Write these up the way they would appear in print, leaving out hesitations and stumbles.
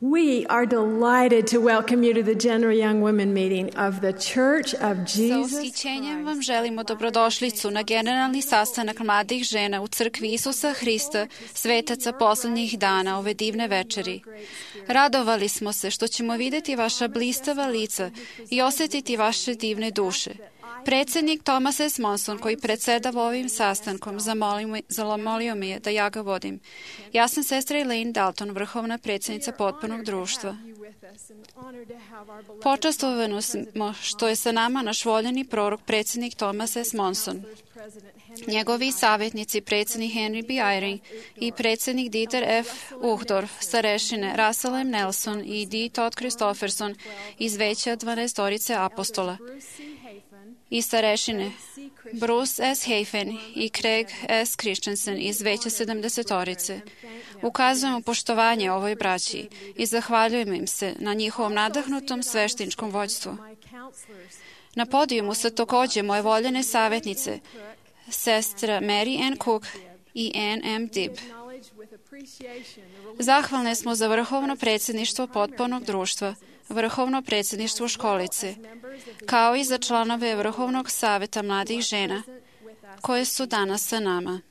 We are delighted to welcome you to the Gender Young Women meeting of the Church of Sa Jesus ushićenjem vam želimo dobrodošlicu na generalni sastanak mladih žena u crkvi Isusa Hrista, svetaca poslednjih dana ove divne večeri. Radovali smo se što ćemo videti vaša blistava lica i osetiti vaše divne duše. Predsednik Thomas S. Monson, koji predsedava ovim sastankom, zamolio me je da ja ga vodim. Ja sam sestra Elaine Dalton, vrhovna predsednica potpunog društva. Počastvovani smo što je sa nama naš voljeni prorok, predsednik Thomas S. Monson. Njegovi savjetnici, predsednik Henry B. Eyring i predsednik Dieter F. Uchtdorf, starešine Russell M. Nelson i D. Todd Christopherson iz veća 12 apostola i starešine Bruce S. Hafen i Craig S. Christensen iz veća 70. Ukazujemo poštovanje ovoj braći i zahvaljujemo im se na njihovom nadahnutom svešteničkom vođstvu. Na podijumu su takođe moje voljene savjetnice, sestra Mary Ann Cook i Ann M. Dibb. Zahvalne smo za vrhovno predsjedništvo potpunog društva, vrhovno predsjedništvo školice, kao i za članove Vrhovnog saveta mladih žena, koje su danas sa nama.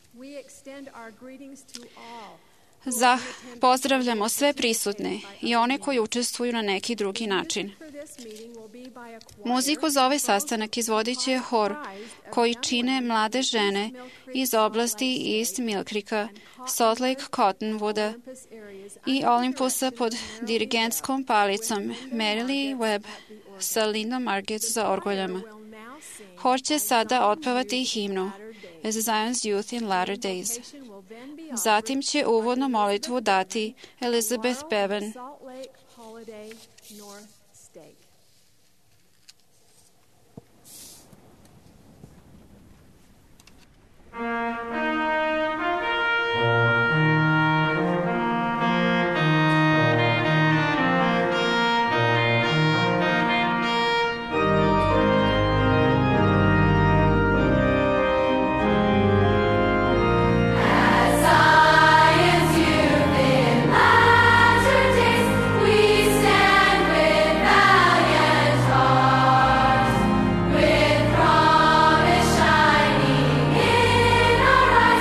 Pozdravljamo sve prisutne i one koji učestvuju na neki drugi način. Muziku za ovaj sastanak izvodit će hor koji čine mlade žene iz oblasti East Mill Creeka, Salt Lake Cottonwooda i Olympusa pod dirigentskom palicom Mary Lee Webb sa Lindom Margets za orgoljama. Hor će sada otpevati himnu As Zion's Youth in Latter Days. Zatim će uvodnu molitvu dati Elizabeth Bevan. With promise shining in our eyes.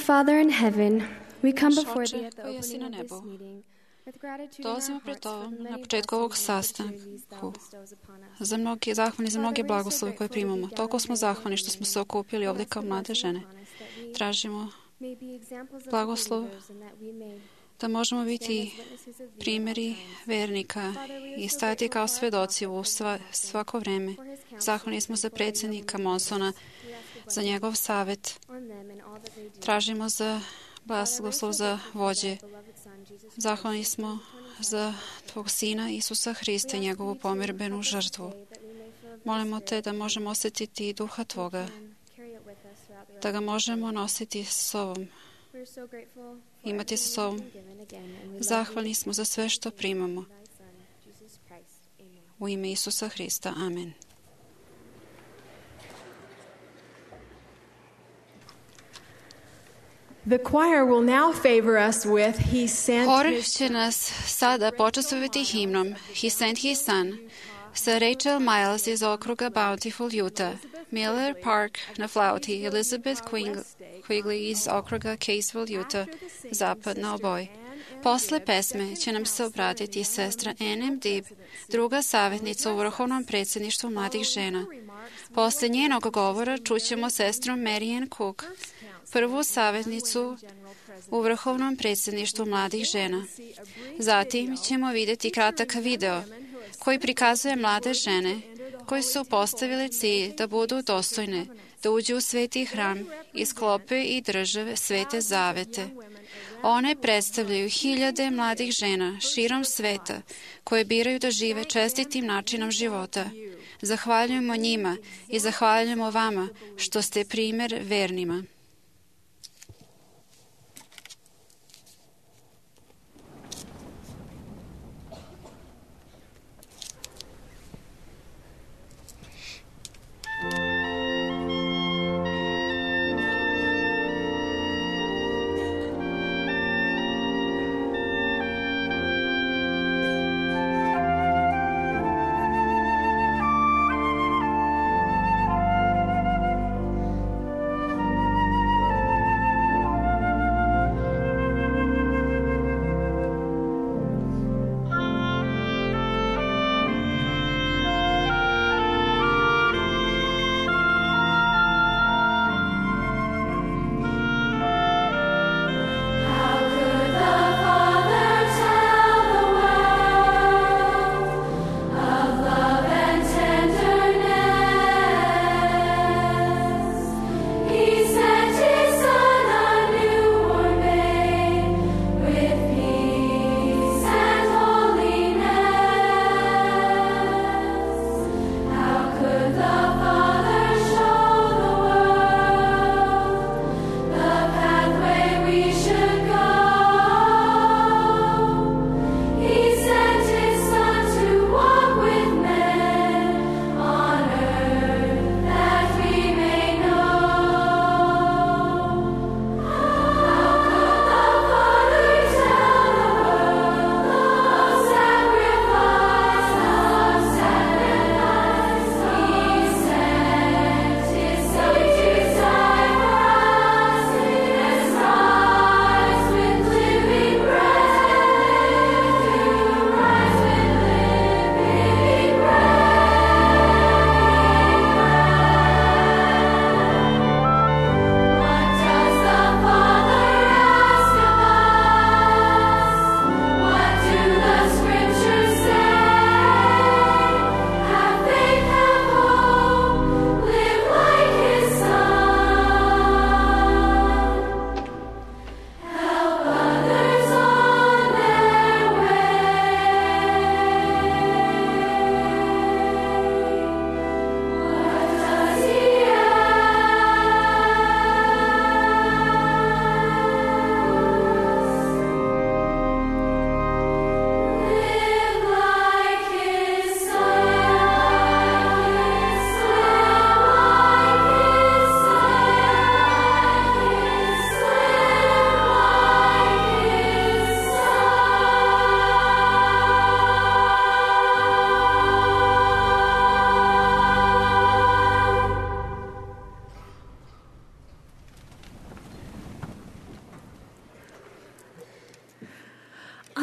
Father in heaven, we come Naš before Oče thee at the koji jesi na opening of this nebu, meeting with gratitude in dolazimo our pred hearts for Tobom the na many početku ovog blessings and opportunities thou sastanka. bestows upon us. Zahvalni za mnoge Father, we are so blagoslove koje grateful to primamo. be Toliko gathered smo here zahvalni again što smo in se okupili We ovdje ask kao the mlade blessing žene. upon us that we Tražimo may be examples of the blagoslov believers and that we may da možemo stand biti as witnesses of thee at all primjeri times. vernika Father, we are i so stati grateful kao for our svedoci prophet, u President Monson, svako vreme. for his counsel Zahvalni smo and za for our young predsjednika women Monsona, leaders. We ask a za blessing njegov savjet. on them and all that they do. Tražimo za Father, we are so blagoslov za grateful for vođe. thy beloved Son, Jesus Christ, Zahvalni who smo spent eternity za sacrifice for Tvog us. Sina Isusa Hrista i We ask njegovu thee to pomirbenu help us žrtvu. today that we may feel of thy Molimo Te Spirit da and možemo osjetiti i duha we Tvoga, can carry it with us throughout the da rest ga of the možemo day. nositi s sobom, We are so grateful for imati everything sa you have sobom. been given again, and we love Zahvalni thee smo za sve što in primamo. thy Son, Jesus Christ. Amen. U ime Isusa Hrista. Amen. The choir will now favor us with He Sent Hor His će nas sada počastovati himnom He Sent His Son sa Rachel Miles iz okruga Bountiful, Utah, Miller Park na flauti, Elizabeth Quigley iz okruga Caseville, Utah, zapad na oboj. Posle pesme će nam se obratiti sestra N.M. Dibb, druga savjetnica u Vrhovnom predsjedništvu mladih žena. Posle njenog govora čućemo sestru Marianne Cook, prvu savjetnicu u Vrhovnom predsjedništvu mladih žena. Zatim ćemo vidjeti kratak video koji prikazuje mlade žene koji su postavili cilj da budu dostojne, da uđu u sveti hram i sklope i drže svete zavete. One predstavljaju hiljade mladih žena širom sveta koje biraju da žive čestitim načinom života. Zahvaljujemo njima i zahvaljujemo vama što ste primjer vernima.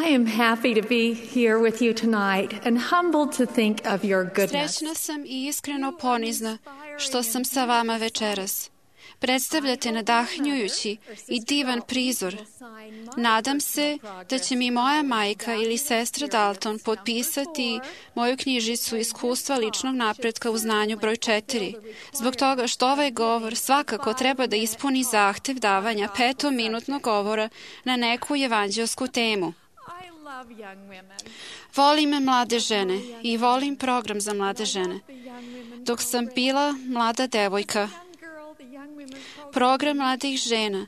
I am happy to be here with you tonight and humbled to think of your goodness. Srećna sam i iskreno ponizna što sam sa vama večeras. Predstavljate nadahnjujući i divan prizor. Nadam se da će mi moja majka ili sestra Dalton potpisati moju knjižicu Iskustva ličnog napretka u znanju broj 4, zbog toga što ovaj govor svakako treba da ispuni zahtev davanja 5-minutnog govora na neku evanđelsku temu. Volim mlade žene i volim program za mlade žene. Dok sam bila mlada devojka, program mladih žena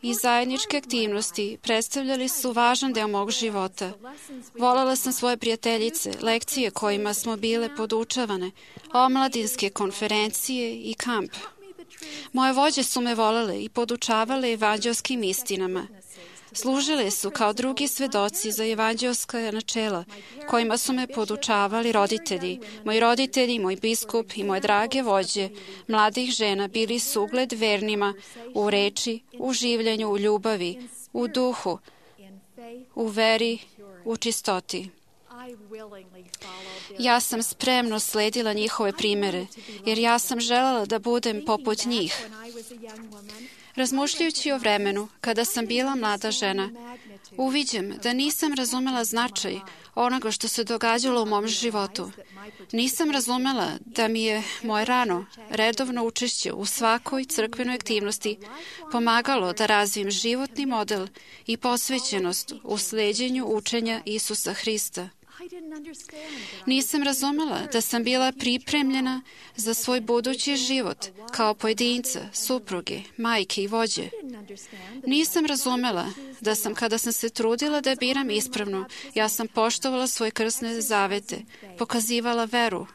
i zajedničke aktivnosti predstavljali su važan deo mog života. Volela sam svoje prijateljice, lekcije kojima smo bile podučavane, omladinske konferencije i kamp. Moje vođe su me volele i podučavale evanđelskim istinama. Služile su kao drugi svedoci za evanđelska načela, kojima su me podučavali roditelji. Moji roditelji, moj biskup i moje drage vođe mladih žena bili su ugled vernima u reči, u življenju, u ljubavi, u duhu, u veri, u čistoti. Ja sam spremno sledila njihove primere, jer ja sam želela da budem poput njih. Razmišljajući o vremenu kada sam bila mlada žena, uviđam da nisam razumela značaj onoga što se događalo u mom životu. Nisam razumela da mi je moje rano, redovno učešće u svakoj crkvenoj aktivnosti pomagalo da razvijem životni model i posvećenost u sleđenju učenja Isusa Hrista. Nisam razumela da sam bila pripremljena za svoj budući život kao pojedinca, supruge, majke i vođe. Nisam razumela da sam, kada sam se trudila da biram ispravno, ja sam poštovala svoje krsne zavete, pokazivala veru,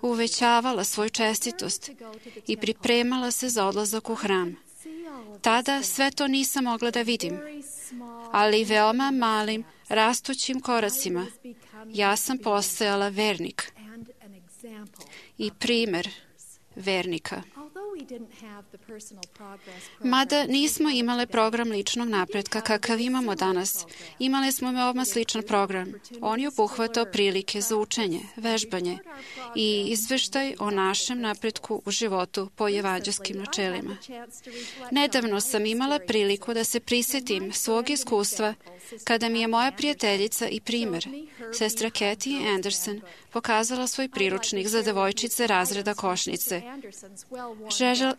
uvećavala svoju čestitost i pripremala se za odlazak u hram. Tada sve to nisam mogla da vidim, ali veoma malim, rastućim koracima ja sam postajala vernik i primer vernika. Mada nismo imale program ličnog napretka kakav imamo danas, imali smo veoma sličan program. On je obuhvatao prilike za učenje, vežbanje i izveštaj o našem napretku u životu po evanđelskim načelima. Nedavno sam imala priliku da se prisjetim svog iskustva kada mi je moja prijateljica i primer, sestra Kathy Anderson, pokazala svoj priručnik za devojčice razreda košnice.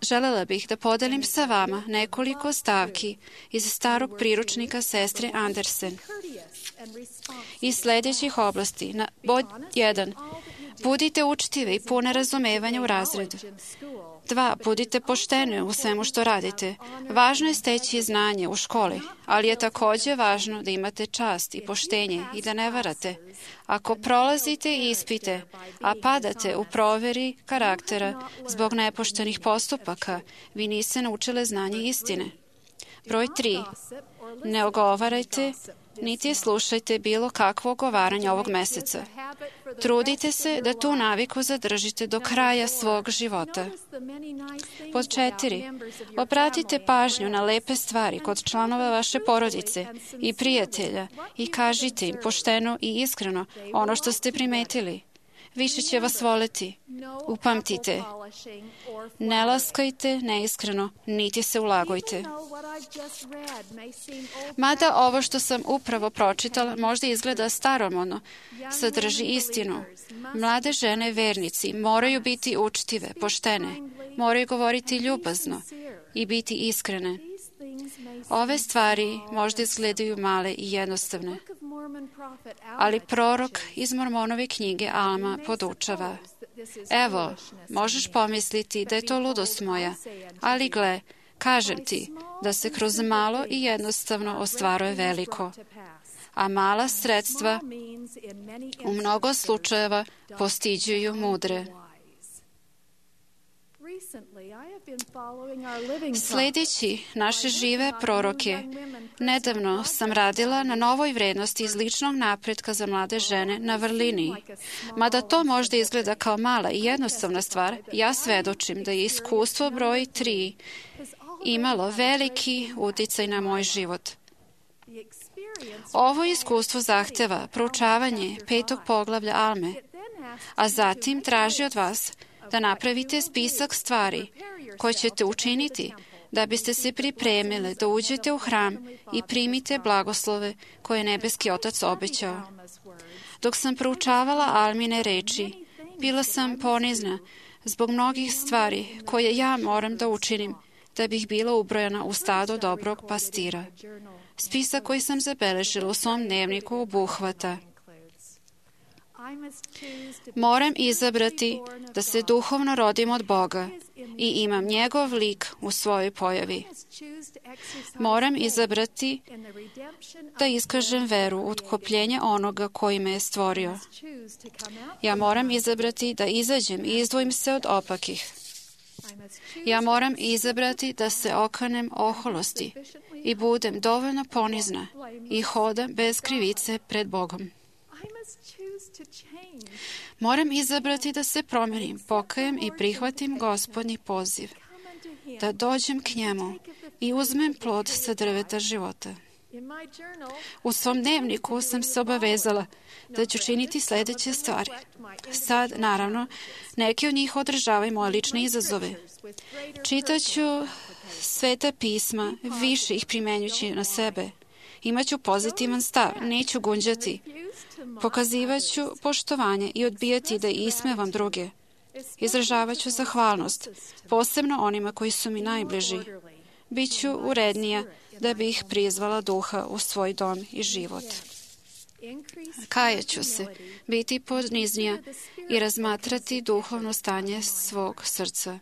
Želela bih da podelim sa vama nekoliko stavki iz starog priručnika sestre Anderson. Iz sljedećih oblasti, pod 1. Budite učtivi i pune razumevanja u razredu. 2. Budite pošteni u svemu što radite. Važno je steći znanje u školi, ali je također važno da imate čast i poštenje i da ne varate. Ako prolazite ispite, a padate u proveri karaktera zbog nepoštenih postupaka, vi niste naučile znanje istine. Broj 3. Ne ogovarajte, niti slušajte bilo kakvo ogovaranje ovog meseca. Trudite se da tu naviku zadržite do kraja svog života. Pod 4. Obratite pažnju na lepe stvari kod članova vaše porodice i prijatelja i kažite im pošteno i iskreno ono što ste primetili. Više će vas voleti. Upamtite. Ne laskajte neiskreno, niti se ulagujte. Mada ovo što sam upravo pročitala možda izgleda staromodno, sadrži istinu. Mlade žene vernici moraju biti učtive, poštene, moraju govoriti ljubazno i biti iskrene. Ove stvari možda izgledaju male i jednostavne, ali prorok iz Mormonove knjige Alma podučava. Evo, možeš pomisliti da je to ludost moja, ali gle, kažem ti da se kroz malo i jednostavno ostvaruje veliko, a mala sredstva u mnogo slučajeva postiđuju mudre. Sledeći naše žive proroke, nedavno sam radila na novoj vrednosti iz ličnog napretka za mlade žene na vrlini. Mada to možda izgleda kao mala i jednostavna stvar, ja svedočim da je iskustvo broj 3 imalo veliki uticaj na moj život. Ovo iskustvo zahteva proučavanje 5. poglavlja Alme, a zatim traži od vas da napravite spisak stvari koje ćete učiniti da biste se pripremili da uđete u hram i primite blagoslove koje je nebeski Otac obećao. Dok sam proučavala Almine reči, bila sam ponizna zbog mnogih stvari koje ja moram da učinim da bih bila ubrojana u stado dobrog pastira. Spisak koji sam zabeležila u svom dnevniku obuhvata: moram izabrati da se duhovno rodim od Boga i imam njegov lik u svojoj pojavi. Moram izabrati da iskažem veru u otkopljenje onoga koji me je stvorio. Ja moram izabrati da izađem i izdvojim se od opakih. Ja moram izabrati da se okanem oholosti i budem dovoljno ponizna i hodam bez krivice pred Bogom. Moram izabrati da se promenim, pokajem i prihvatim Gospodnji poziv, da dođem k njemu i uzmem plod sa drveta života. U svom dnevniku sam se obavezala da ću činiti sljedeće stvari. Sad, naravno, neki od njih održavaju moje lične izazove. Čitaću Sveta pisma, više ih primenjući na sebe. Imaću pozitivan stav, neću gunđati. Pokazivaću poštovanje i odbijati da ismevam druge. Izražavaću zahvalnost, posebno onima koji su mi najbliži. Biću urednija da bi ih prizvala duha u svoj dom i život. Kajaću se, biti poniznija i razmatrati duhovno stanje svog srca.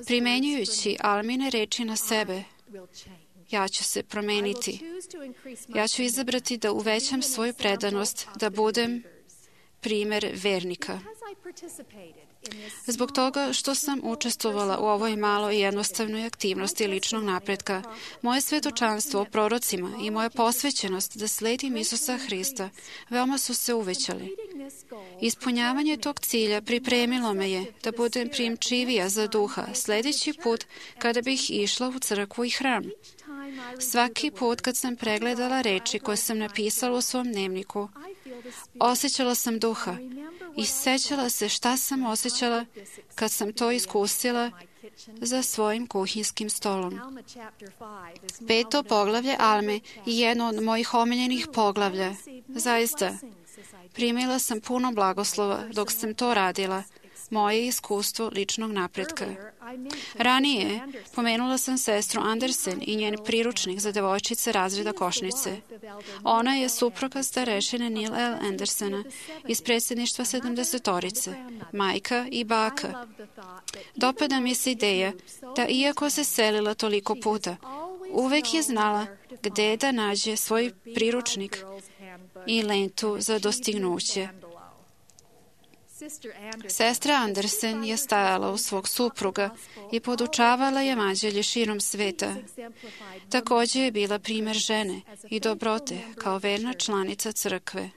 Primenjujući Almine reči na sebe, ja ću se promeniti. Ja ću izabrati da uvećam svoju predanost, da budem primer vernika. Zbog toga što sam učestvovala u ovoj maloj i jednostavnoj aktivnosti ličnog napretka, moje svjedočanstvo o prorocima i moja posvećenost da sledim Isusa Hrista veoma su se uvećali. Ispunjavanje tog cilja pripremilo me je da budem primčivija za duha sljedeći put kada bih išla u crkvu i hram. Svaki put kad sam pregledala reči koje sam napisala u svom dnevniku, osjećala sam duha i sećala se šta sam osjećala kad sam to iskusila za svojim kuhinskim stolom. 5. poglavlje Alme je jedno od mojih omiljenih poglavlja. Zaista, primila sam puno blagoslova dok sam to radila, moje iskustvo ličnog napretka. Ranije pomenula sam sestru Andersen i njen priručnik za devojčice razreda košnice. Ona je supruga starešine Neil L. Andersena iz predsjedništva 70-torice, majka i baka. Dopada mi se ideja da iako se selila toliko puta, uvek je znala gde da nađe svoj priručnik i lentu za dostignuće. Sestra Andersen je stajala uz svog supruga i podučavala je evanđelje širom sveta. Također je bila primjer žene i dobrote kao verna članica crkve.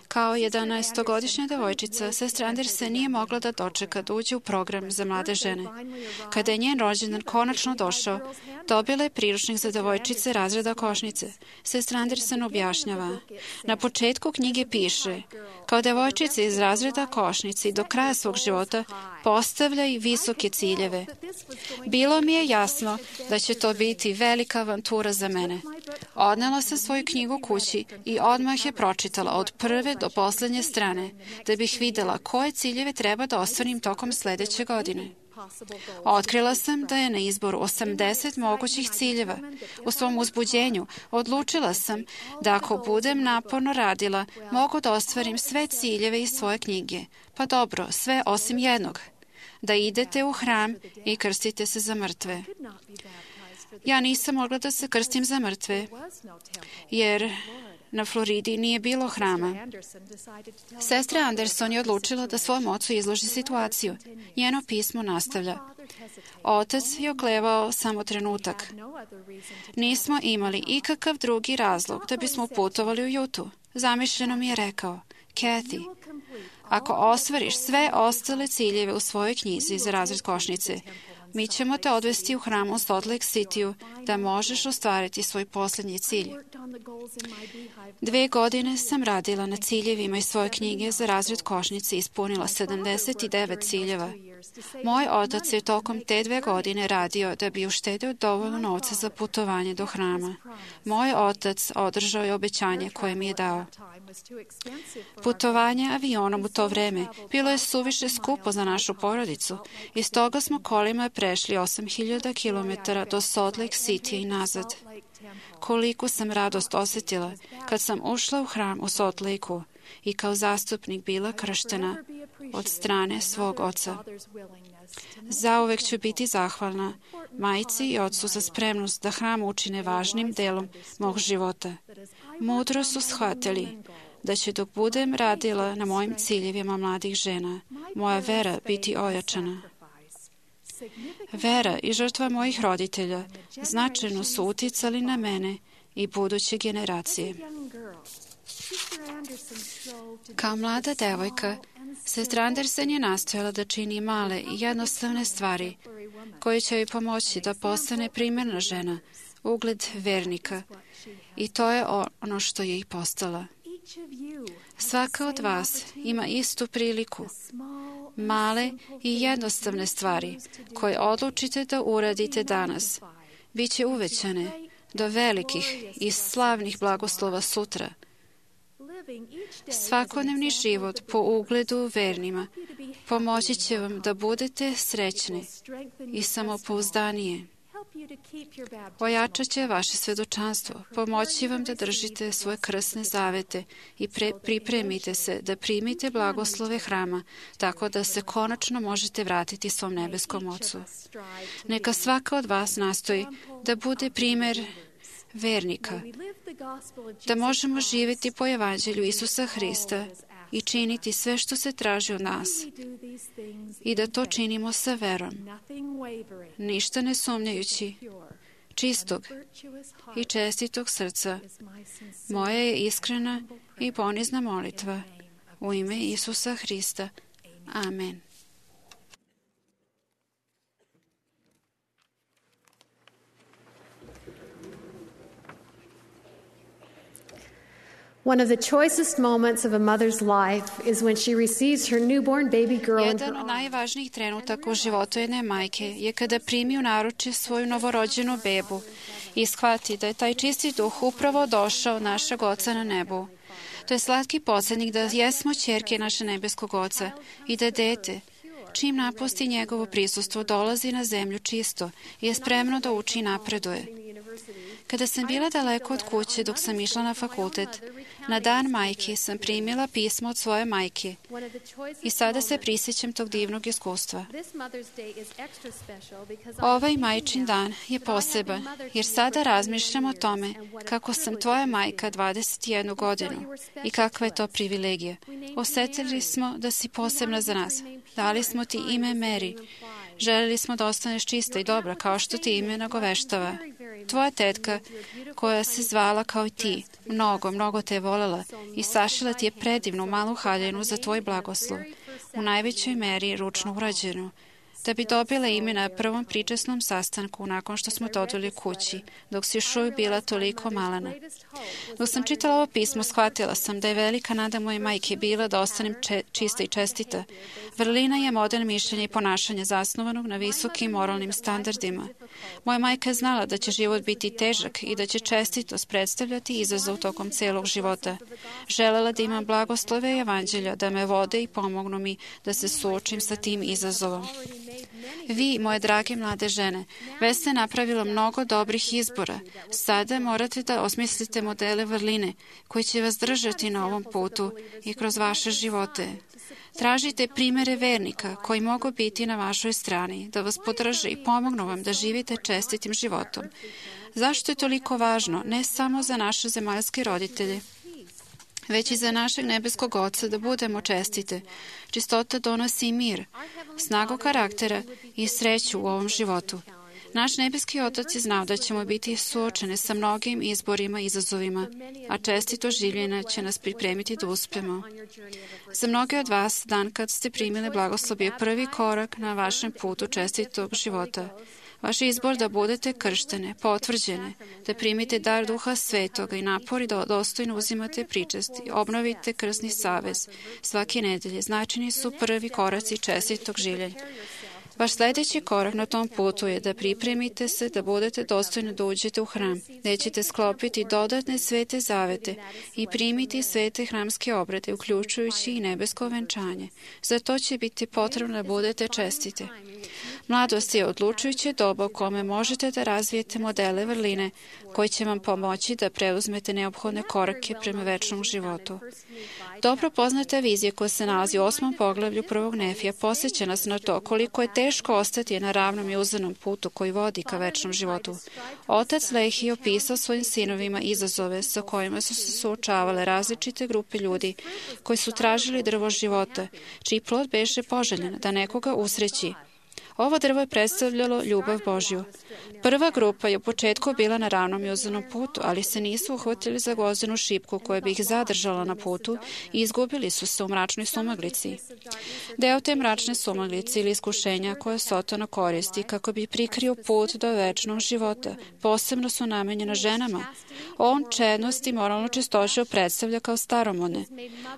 Kao 11-godišnja devojčica, sestra Andersen nije mogla da dočeka da uđe u program za mlade žene. Kada je njen rođendan konačno došao, dobila je priručnik za devojčice razreda košnice. Sestra Andersen objašnjava: na početku knjige piše: kao devojčica iz razreda košnice i do kraja svog života postavljaj visoke ciljeve. Bilo mi je jasno da će to biti velika avantura za mene. Odnela sam svoju knjigu kući i odmah je pročitala od prve do posljednje strane, da bih vidjela koje ciljeve treba da ostvarim tokom sljedeće godine. Otkrila sam da je na izboru 80 mogućih ciljeva. U svom uzbuđenju odlučila sam da ako budem naporno radila, mogu da ostvarim sve ciljeve iz svoje knjige. Pa dobro, sve osim jednog. Da idete u hram i krstite se za mrtve. Ja nisam mogla da se krstim za mrtve, jer na Floridi nije bilo hrama. Sestra Anderson je odlučila da svom ocu izloži situaciju. Njeno pismo nastavlja: otac je oklevao samo trenutak. Nismo imali ikakav drugi razlog da bismo putovali u Jutu. Zamišljeno mi je rekao: Kathy, ako ostvariš sve ostale ciljeve u svojoj knjizi za razred košnice, Mi ćemo te odvesti u hram u Salt Lake City-u da možeš ostvariti svoj posljednji cilj. 2 godine sam radila na ciljevima iz svoje knjige za razred košnice i ispunila 79 ciljeva. Moj otac je tokom te 2 godine radio da bi uštedio dovoljno novca za putovanje do hrama. Moj otac održao je obećanje koje mi je dao. Putovanje avionom u to vreme bilo je suviše skupo za našu porodicu i stoga smo kolima prešli 8000 km do Salt Lake City i nazad. Koliku sam radost osjetila kad sam ušla u hram u Salt Lakeu i kao zastupnik bila krštena od strane svog oca. Zauvek ću biti zahvalna majci i ocu za spremnost da hram učine važnim delom mog života. Mudro su shvatili da će dok budem radila na mojim ciljevima mladih žena, moja vera biti ojačana. Vera i žrtva mojih roditelja značajno su uticali na mene i buduće generacije. Kao mlada devojka, sestra Anderson je nastojala da čini male i jednostavne stvari koje će joj pomoći da postane primjerna žena, ugled vernika, i to je ono što je i postala. Svaka od vas ima istu priliku. Male i jednostavne stvari koje odlučite da uradite danas bit će uvećane do velikih i slavnih blagoslova sutra. Svakodnevni život po ugledu vernima pomoći će vam da budete srećni i samopouzdanije. Ojačat će vaše svedočanstvo, pomoći vam da držite svoje krsne zavete i pripremite se da primite blagoslove hrama, tako da se konačno možete vratiti svom nebeskom Ocu. Neka svaka od vas nastoji da bude primjer vernika, da možemo živjeti po evanđelju Isusa Hrista i činiti sve što se traži od nas i da to činimo sa verom, ništa ne sumnjajući, čistog i čestitog srca. Moja je iskrena i ponizna molitva u ime Isusa Hrista. Amen. One of the choicest moments of a mother's life is when she receives her newborn baby girl into her Jedan od najvažnijih trenutaka u životu jedne majke je kada primi u naručje svoju novorođenu bebu i shvati da je taj čisti duh upravo došao od našeg Oca na nebu. To je slatki podsjetnik da jesmo ćerke naše nebeskog Oca i da dete, čim napusti njegovo prisustvo, dolazi na zemlju čisto i je spremno da uči i napreduje. Kada sam bila daleko od kuće dok sam išla na fakultet, na dan majke sam primila pismo od svoje majke i sada se prisjećam tog divnog iskustva. Ovaj majčin dan je poseban jer sada razmišljam o tome kako sam tvoja majka 21 godinu i kakva je to privilegija. Osjetili smo da si posebna za nas. Dali smo ti ime Mary. Željeli smo da ostaneš čista i dobra kao što ti ime nagoveštava. Tvoja tetka, koja se zvala kao i ti, mnogo te je voljela i sašila ti je predivnu malu haljinu za tvoj blagoslov, u najvećoj meri ručno urađenu, da bi dobila ime na prvom pričasnom sastanku nakon što smo te odveli kući, dok si još uvijek bila toliko malena. Dok sam čitala ovo pismo, shvatila sam da je velika nada moje majke bila da ostanem čista i čestita. Vrlina je model mišljenja i ponašanja zasnovanog na visokim moralnim standardima. Moja majka je znala da će život biti težak i da će čestitost predstavljati izazov tokom celog života. Želela da imam blagoslove i evanđelja, da me vode i pomognu mi da se suočim sa tim izazovom. Vi, moje drage mlade žene, već ste napravila mnogo dobrih izbora. Sada morate da osmislite modele vrline koji će vas držati na ovom putu i kroz vaše živote. Tražite primere vernika koji mogu biti na vašoj strani, da vas podrže i pomognu vam da živite čestitim životom. Zašto je toliko važno, ne samo za naše zemaljske roditelje, već i za našeg nebeskog Oca da budemo čestite? Čistota donosi mir, snagu karaktera i sreću u ovom životu. Naš nebeski Otac je znao da ćemo biti suočeni sa mnogim izborima i izazovima, a čestito življenje će nas pripremiti da uspemo. Za mnoge od vas, dan kad ste primili blagoslov je prvi korak na vašem putu čestitog života. Vaš izbor da budete krštene, potvrđene, da primite dar Duha Svetoga i napori da dostojno uzimate pričest i obnovite krsni savez svake nedelje, značajni su prvi koraci čestitog življenja. Vaš sljedeći korak na tom putu je da pripremite se da budete dostojni da uđete u hram, gdje ćete sklopiti dodatne svete zavete i primiti svete hramske obrede, uključujući i nebesko venčanje. Za to će biti potrebno da budete čestite. Mladost je odlučujuće doba u kome možete da razvijete modele vrline koji će vam pomoći da preuzmete neophodne korake prema večnom životu. Dobro poznata vizija koja se nalazi u 8. poglavlju 1. Nefija posjeća nas na to koliko je teško ostati na ravnom i uzdanom putu koji vodi ka večnom životu. Otac Lehi opisao svojim sinovima izazove sa kojima su se suočavale različite grupe ljudi koji su tražili drvo života, čiji plod beše poželjen da nekoga usreći. Ovo drvo je predstavljalo ljubav Božju. Prva grupa je u početku bila na ravnom i uzdanom putu, ali se nisu uhvatili za gvozdenu šipku koja bi ih zadržala na putu i izgubili su se u mračnoj sumaglici. Deo te mračne sumaglice ili iskušenja koje Sotona koristi kako bi prikrio put do večnog života, posebno su namenjena ženama. On čednost i moralnu čistoću predstavlja kao staromodne.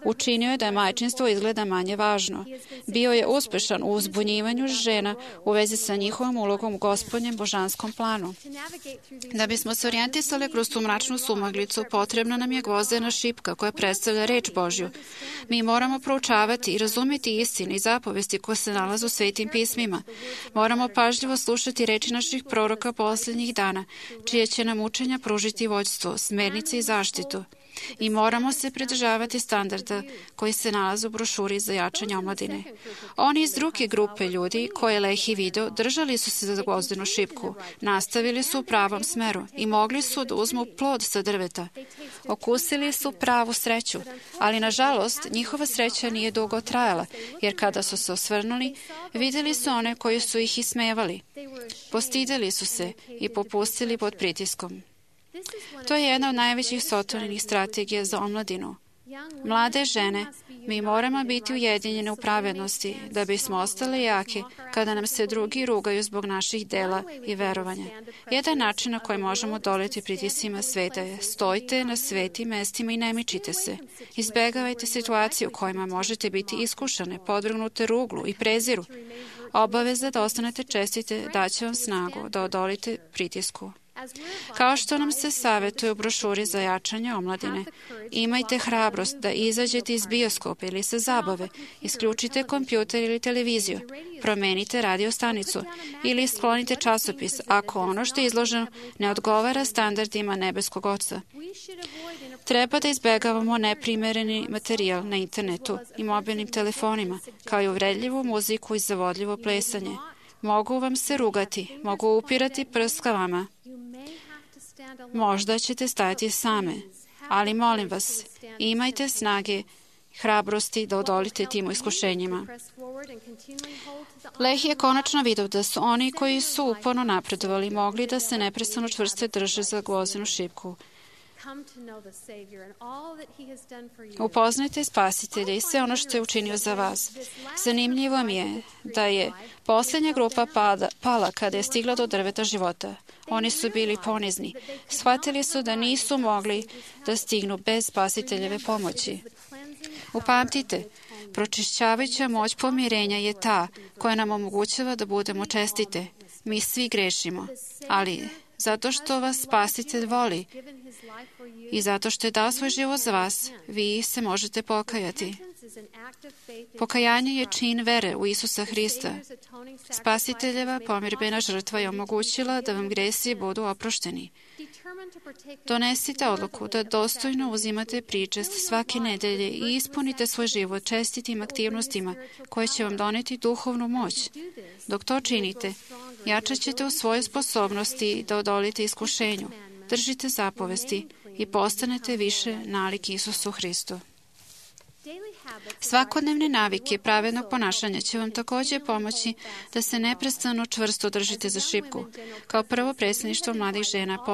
Učinio je da majčinstvo izgleda manje važno. Bio je uspešan u uzbunjivanju žena u vezi sa njihovom ulogom u Gospodnjem božanskom planu. Da bismo se orijentisali kroz tu mračnu sumaglicu, potrebna nam je gvozdena šipka koja predstavlja reč Božju. Mi moramo proučavati i razumjeti istine i zapovesti koje se nalaze u svetim pismima. Moramo pažljivo slušati reči naših proroka posljednjih dana, čije će nam učenja pružiti vođstvo, smernice i zaštitu. I moramo se pridržavati standarda koji se nalaze u brošuri za jačanje omladine. Oni iz druge grupe ljudi koje Lehi video držali su se za gvozdenu šipku, nastavili su u pravom smeru i mogli su da uzmu plod sa drveta. Okusili su pravu sreću, ali nažalost njihova sreća nije dugo trajala, jer kada su se osvrnuli, vidjeli su one koji su ih ismevali. Postideli su se i popustili pod pritiskom. To je jedna od najvećih Sotoninih strategija za omladinu. Mlade žene, mi moramo biti ujedinjene u pravednosti da bismo ostale jake kada nam se drugi rugaju zbog naših dela i verovanja. Jedan način na koji možemo doleti pritiscima sveta je stojite na svetim mestima i ne mičite se. Izbegavajte situacije u kojima možete biti iskušane, podvrgnute ruglu i preziru. Obaveza da ostanete čestite daće vam snagu da odolite pritisku. Kao što nam se savjetuje u brošuri za jačanje omladine, imajte hrabrost da izađete iz bioskopa ili sa zabave, isključite kompjuter ili televiziju, promenite radio stanicu ili sklonite časopis ako ono što je izloženo ne odgovara standardima nebeskog Oca. Treba da izbegavamo neprimereni materijal na internetu i mobilnim telefonima, kao i uvredljivu muziku i zavodljivo plesanje. Mogu vam se rugati, mogu upirati prst ka vama. Možda ćete stajati same, ali molim vas, imajte snage, hrabrosti da odolite tim iskušenjima. Lehi je konačno vidio da su oni koji su uporno napredovali mogli da se neprestano čvrste drže za gvozdenu šipku. Upoznajte Spasitelja i sve ono što je učinio za vas. Zanimljivo mi je da je posljednja grupa pala kada je stigla do drveta života. Oni su bili ponizni. Shvatili su da nisu mogli da stignu bez Spasiteljeve pomoći. Upamtite, pročišćavajuća moć pomirenja je ta koja nam omogućava da budemo čestite. Mi svi grešimo, ali zato što vas Spasitelj voli i zato što je dao svoj život za vas, vi se možete pokajati. Pokajanje je čin vere u Isusa Hrista. Spasiteljeva pomirbena žrtva je omogućila da vam gresi budu oprošteni. Donesite odluku da dostojno uzimate pričest svake nedelje i ispunite svoj život čestitim aktivnostima koje će vam doneti duhovnu moć. Dok to činite, jačat ćete u svojoj sposobnosti da odolite iskušenju, držite zapovesti i postanete više nalik Isusu Hristu. Svakodnevne navike pravednog ponašanja će vam također pomoći da se neprestano čvrsto držite za šipku. Kao prvo predsjedništvo mladih žena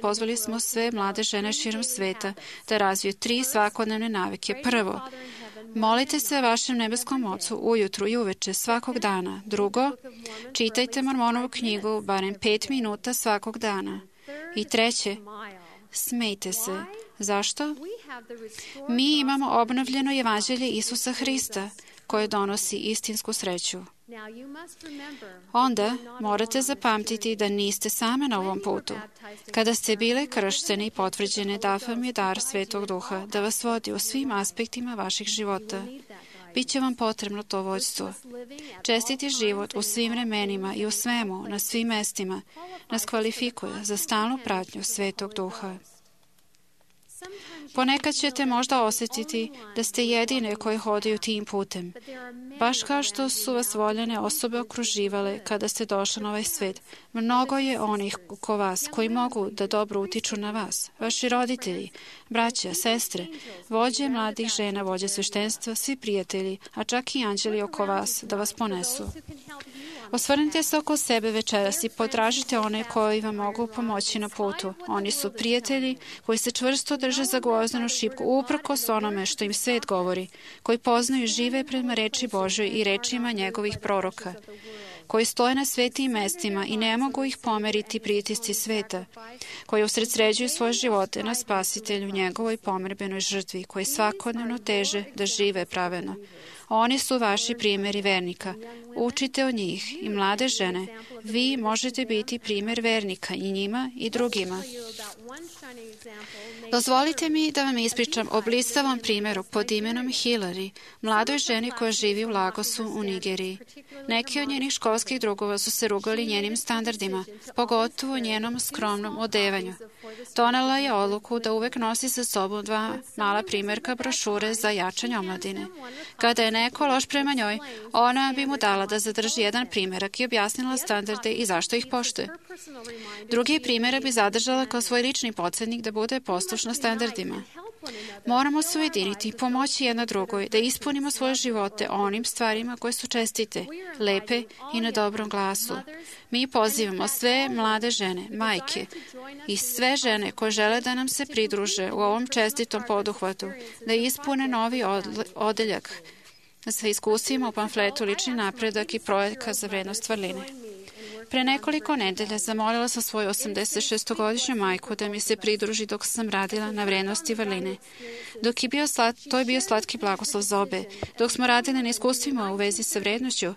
pozvali smo sve mlade žene širom sveta da razviju 3 svakodnevne navike. Prvo, molite se vašem nebeskom Ocu ujutru i uveče svakog dana. Drugo, čitajte Mormonovu knjigu barem 5 minuta svakog dana. I treće, smejte se. Zašto? Mi imamo obnovljeno evanđelje Isusa Hrista koje donosi istinsku sreću. Onda morate zapamtiti da niste same na ovom putu. Kada ste bile krštene i potvrđene, da vam je dar Svetog Duha da vas vodi u svim aspektima vaših života. Biće vam potrebno to vođstvo. Čestiti život u svim vremenima i u svemu, na svim mestima, nas kvalifikuje za stalnu pratnju Svetog Duha. Ponekad ćete možda osjetiti da ste jedine koje hodaju tim putem. Baš kao što su vas voljene osobe okruživale kada ste došli na ovaj svet. Mnogo je onih oko vas koji mogu da dobro utiču na vas. Vaši roditelji, braća, sestre, vođe mladih žena, vođe sveštenstva, svi prijatelji, a čak i anđeli oko vas da vas ponesu. Osvrnite se oko sebe večeras i potražite one koji vam mogu pomoći na putu. Oni su prijatelji koji se čvrsto drže za gvozdenu šipku uprkos onome što im svet govori, koji poznaju i žive prema reči Božoj i rečima njegovih proroka, koji stoje na svetim mestima i ne mogu ih pomeriti pritisci sveta, koji usredsređuju svoje živote na Spasitelju, njegovoj pomerbenoj žrtvi, koji svakodnevno teže da žive pravedno. Oni su vaši primjeri vernika. Učite od njih i mlade žene. Vi možete biti primjer vernika i njima i drugima. Dozvolite mi da vam ispričam o blistavom primjeru pod imenom Hillary, mladoj ženi koja živi u Lagosu u Nigeriji. Neki od njenih školskih drugova su se rugali njenim standardima, pogotovo njenom skromnom odevanju. Donela je odluku da uvek nosi sa sobom 2 mala primjerka brošure za jačanje omladine. Kada je neko loš prema njoj, ona bi mu dala da zadrži jedan primjerak i objasnila standarde i zašto ih poštuje. Drugi primjerak bi zadržala kao svoj lični podsjetnik da bude poslušna standardima. Moramo se ujediniti i pomoći jedna drugoj da ispunimo svoje živote onim stvarima koje su čestite, lepe i na dobrom glasu. Mi pozivamo sve mlade žene, majke i sve žene koje žele da nam se pridruže u ovom čestitom poduhvatu, da ispune novi odeljak sa iskustvima u pamfletu Lični napredak i projekat za vrednost vrline. Pre nekoliko nedelja zamolila sam svoju 86-godišnju majku da mi se pridruži dok sam radila na vrednosti vrline. To je bio slatki blagoslov za obe. Dok smo radili na iskustvima u vezi sa vrednošću,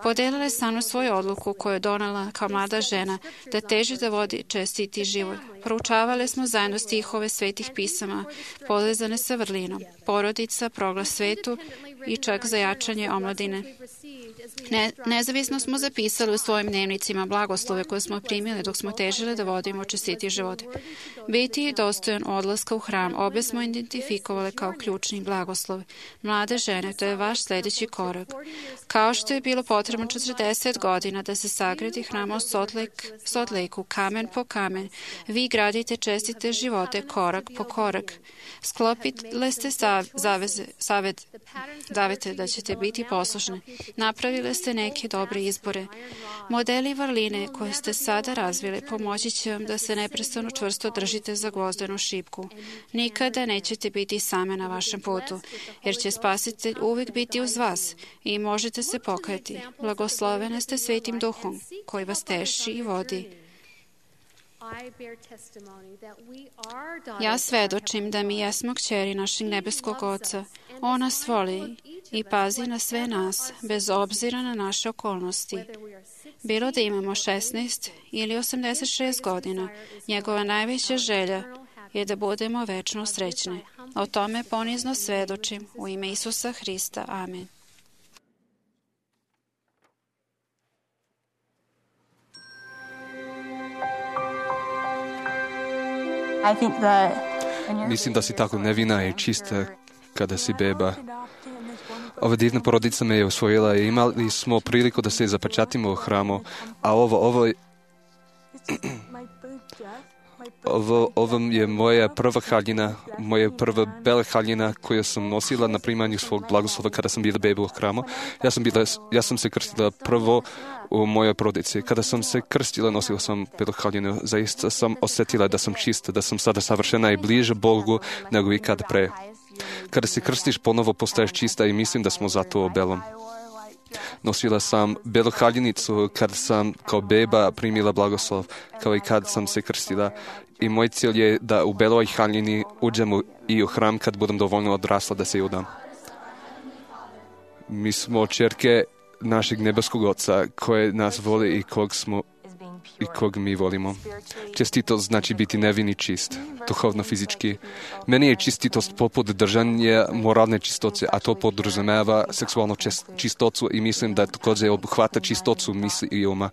podelila je sa mnom svoju odluku koju je donela kao mlada žena da teži da vodi čestiti život. Proučavali smo zajedno stihove svetih pisama povezane sa vrlinom, porodica, proglas svetu i čak za jačanje omladine. Nezavisno smo zapisali u svojim dnevnicima blagoslove koje smo primili dok smo težili da vodimo čestiti život. Biti dostojan odlaska u hram, obe smo identifikovali kao ključni blagoslov. Mlade žene, to je vaš sljedeći korak. Kao što je bilo potrebno 40 godina da se sagradi hram u Salt Lakeu, kamen po kamen, vi gradite čestite živote korak po korak. Sklopili ste zavete da ćete biti poslušni. Napravili ste neke dobre izbore. Modeli vrline koje ste sada razvili pomoći će vam da se neprestano čvrsto držite za gvozdenu šipku. Nikada nećete biti same na vašem putu, jer će Spasitelj uvijek biti uz vas i možete se pokajati. Blagoslovene ste Svetim Duhom koji vas teši i vodi. Ja svedočim da mi jesmo kćeri našeg nebeskog Oca. On nas voli i pazi na sve nas, bez obzira na naše okolnosti. Bilo da imamo 16 ili 86 godina, njegova najveća želja je da budemo večno srećni. O tome ponizno svedočim u ime Isusa Hrista. Amen. Mislim da si tako nevina i čista kada si beba. Ova divna porodica me je usvojila i imali smo priliku da se zapečatimo u hramu, a ovo Ovo je moja prva haljina, moja prva bela haljina koju sam nosila na primanju svog blagoslova kada sam bila beba u hramu. Ja sam se krstila prvo u mojoj porodici. Kada sam se krstila, nosila sam belu haljinu. Zaista sam osjetila da sam čista, da sam sada savršena i bliže Bogu nego ikad pre. Kada se krstiš, ponovo postaješ čista i mislim da smo zato belom. Nosila sam belu haljinicu kada sam kao beba primila blagoslov, kao i kad sam se krstila. I moj cilj je da u beloj haljini uđem i u hram kad budem dovoljno odrasla da se udam. Mi smo čerke našeg nebeskog Oca koje nas voli i kog mi volimo. Čestitost znači biti nevin i čist, duhovno, fizički. Meni je čestitost poput držanja moralne čistoće, a to podrazumeva seksualnu čistoću i mislim da također obuhvata čistoću misli i uma.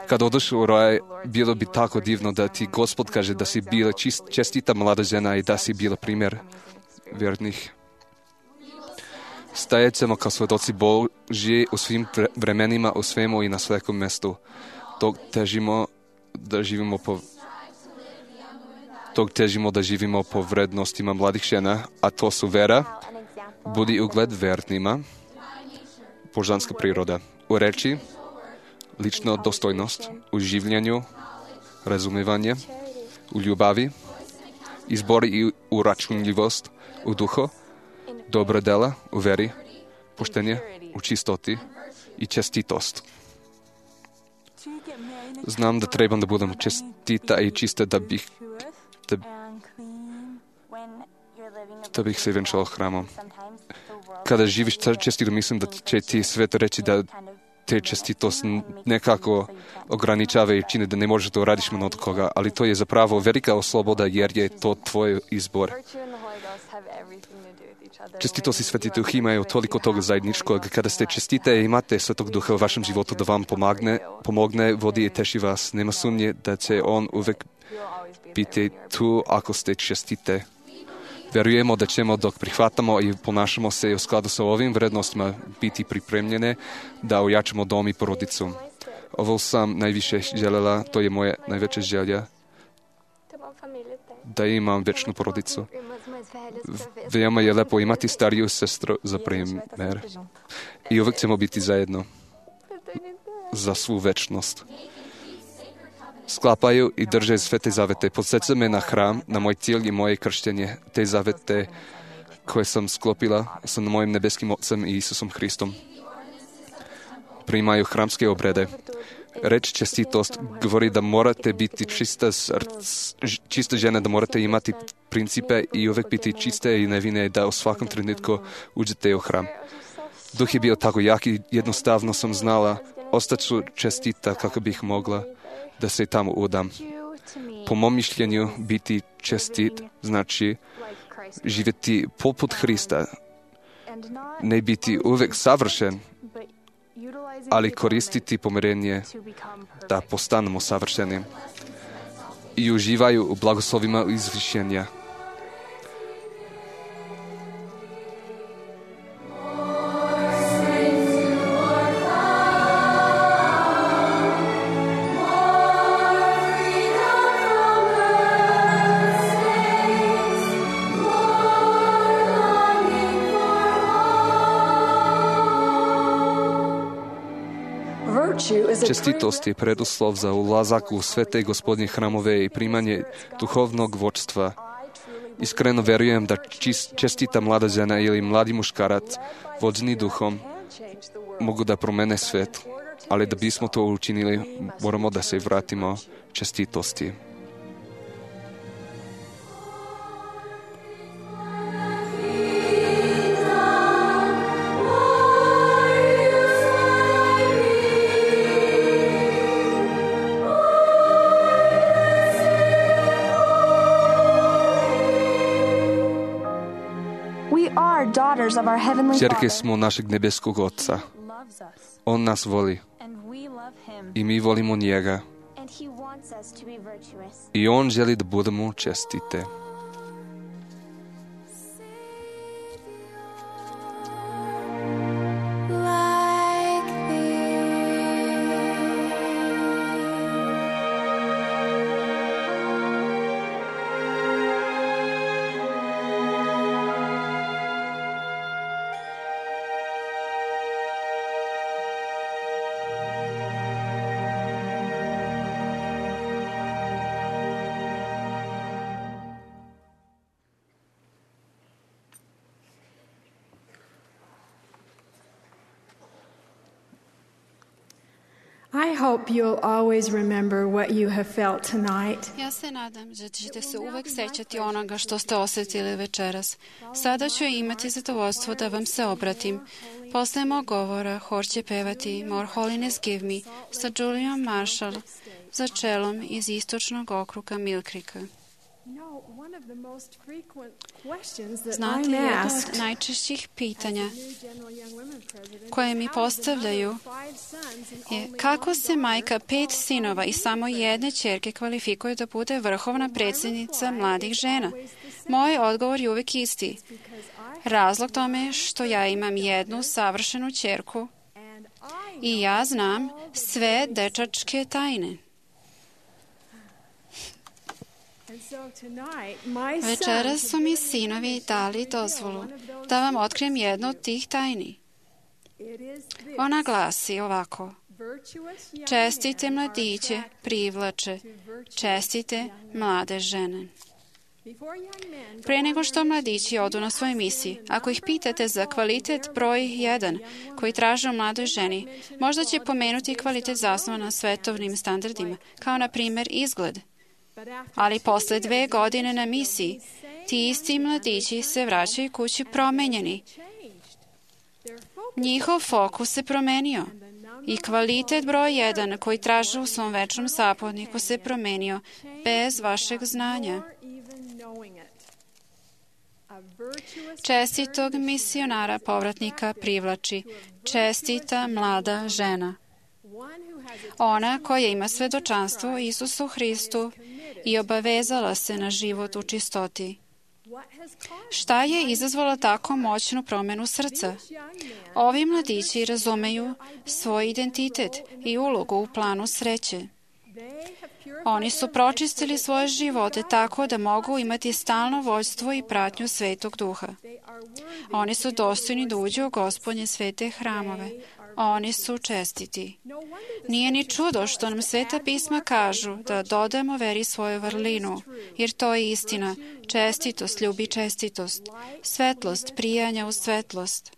Kad odeš u raj, bilo bi tako divno da ti Gospod kaže da si bila čestita mlada žena i da si bila primjer vjernih. Stajat ćemo kao svedoci Božji u svim vremenima, u svemu i na svakom mjestu. Tog težimo da živimo po vrednostima mladih žena, a to su vera, budi ugled vernima, božanska priroda, u reči, lična dostojnost, u življenju, razumevanje, u ljubavi, izbor i uračunljivost, u duhu, dobra dela, u veri, poštenje, u čistoti i čestitost. Znam da trebam da budem čestita i čista da bih se venčala hramom. Kada živiš čestito, mislim da će ti svet reći da te čestitost nekako ograničava i čini da ne možeš da uradiš mnogo koga, ali to je zapravo velika sloboda jer je to tvoj izbor. Čestitost i Sveti Duh imaju toliko toga zajedničkog. Kada ste čestite i imate Svetog Duha u vašem životu da vam pomogne, vodi i teši vas. Nema sumnje da će on uvek biti tu ako ste čestite. Vjerujemo da ćemo dok prihvatamo i ponašamo se u skladu sa ovim vrednostima biti pripremljene da ojačamo dom i porodicu. Ovo sam najviše željela, to je moja najveća želja, da imam večnu porodicu. Veoma je lepo imati stariju sestru za primjer i uvek ćemo biti zajedno za svu večnost. Sklapaju i drže sve te zavete. Podsjeća me na hram, na moj cilj i moje krštenje. Te zavete koje sam sklopila sa mojim nebeskim Ocem i Isusom Hristom. Primaju hramske obrede. Reč čestitost govori da morate biti čista žena, da morate imati principe i uvek biti čiste i nevine, da u svakom trenutku uđete u hram. Duh je bio tako jak i jednostavno sam znala, ostaću čestita kako bih mogla da se tamo udam. Po mom mišljenju, biti čestit znači živjeti poput Hrista, ne biti uvek savršen, ali koristiti pomirenje da postanemo savršeni i uživaju u blagoslovima izvišenja. Čestitost je preduslov za ulazak u sve te Gospodnje hramove i primanje duhovnog vodstva. Iskreno verujem da čestita mlada žena ili mladi muškarac vođeni duhom mogu da promene svet, ali da bismo to učinili, moramo da se vratimo čestitosti. Čerke smo našeg nebeskog Oca. On nas voli i mi volimo njega. I on želi da budemo čestite. I hope you'll always remember what you have felt tonight. Ja se nadam da ćete se uvek sećati onoga što ste osjetili večeras. Sada ću imati zadovoljstvo da vam se obratim. Posle mog govora hor će pevati More Holiness Give Me sa Juliom Marshall za čelom iz istočnog okruga Mill Creeka. Znate, jedno od najčešćih pitanja koje mi postavljaju je kako se majka 5 sinova i samo jedne ćerke kvalifikuje da bude vrhovna predsjednica mladih žena. Moj odgovor je uvek isti. Razlog tome je što ja imam jednu savršenu ćerku i ja znam sve dečačke tajne. Večeras su mi sinovi dali dozvolu da vam otkrijem jednu od tih tajni. Ona glasi ovako: čestite mladiće privlače, čestite mlade žene. Pre nego što mladići odu na svoje misije, ako ih pitate za kvalitet broj 1 koji traže u mladoj ženi, možda će pomenuti kvalitet zasnovan na svetovnim standardima, kao na primjer izgled. Ali posle 2 godine na misiji, ti isti mladići se vraćaju kući promenjeni. Njihov fokus se promenio i kvalitet broj 1 koji traže u svom večnom saputniku se promenio bez vašeg znanja. Čestitog misionara povratnika privlači čestita mlada žena. Ona koja ima svedočanstvo o Isusu Hristu i obavezala se na život u čistoti. Šta je izazvalo tako moćnu promjenu srca? Ovi mladići razumeju svoj identitet i ulogu u planu sreće. Oni su pročistili svoje živote tako da mogu imati stalno vođstvo i pratnju Svetog Duha. Oni su dostojni da uđu u Gospodnje svete hramove. Oni su čestiti. Nije ni čudo što nam Sveta pisma kažu da dodamo veri svoju vrlinu, jer to je istina. Čestitost ljubi čestitost, svetlost prijanja u svetlost.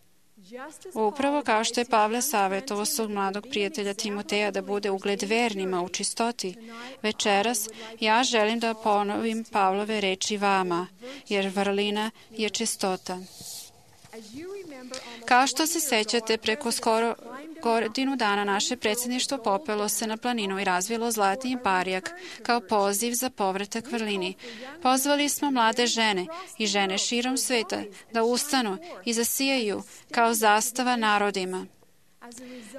Upravo kao što je Pavle savjetovao svog mladog prijatelja Timoteja da bude ugled vernima u čistoti, večeras ja želim da ponovim Pavlove reči vama, jer vrlina je čistota. Kao što se sećate, preko skoro godinu dana naše predsjedništvo popelo se na planinu i razvilo zlatni barjak kao poziv za povratak vrlini. Pozvali smo mlade žene i žene širom sveta da ustanu i zasijaju kao zastava narodima.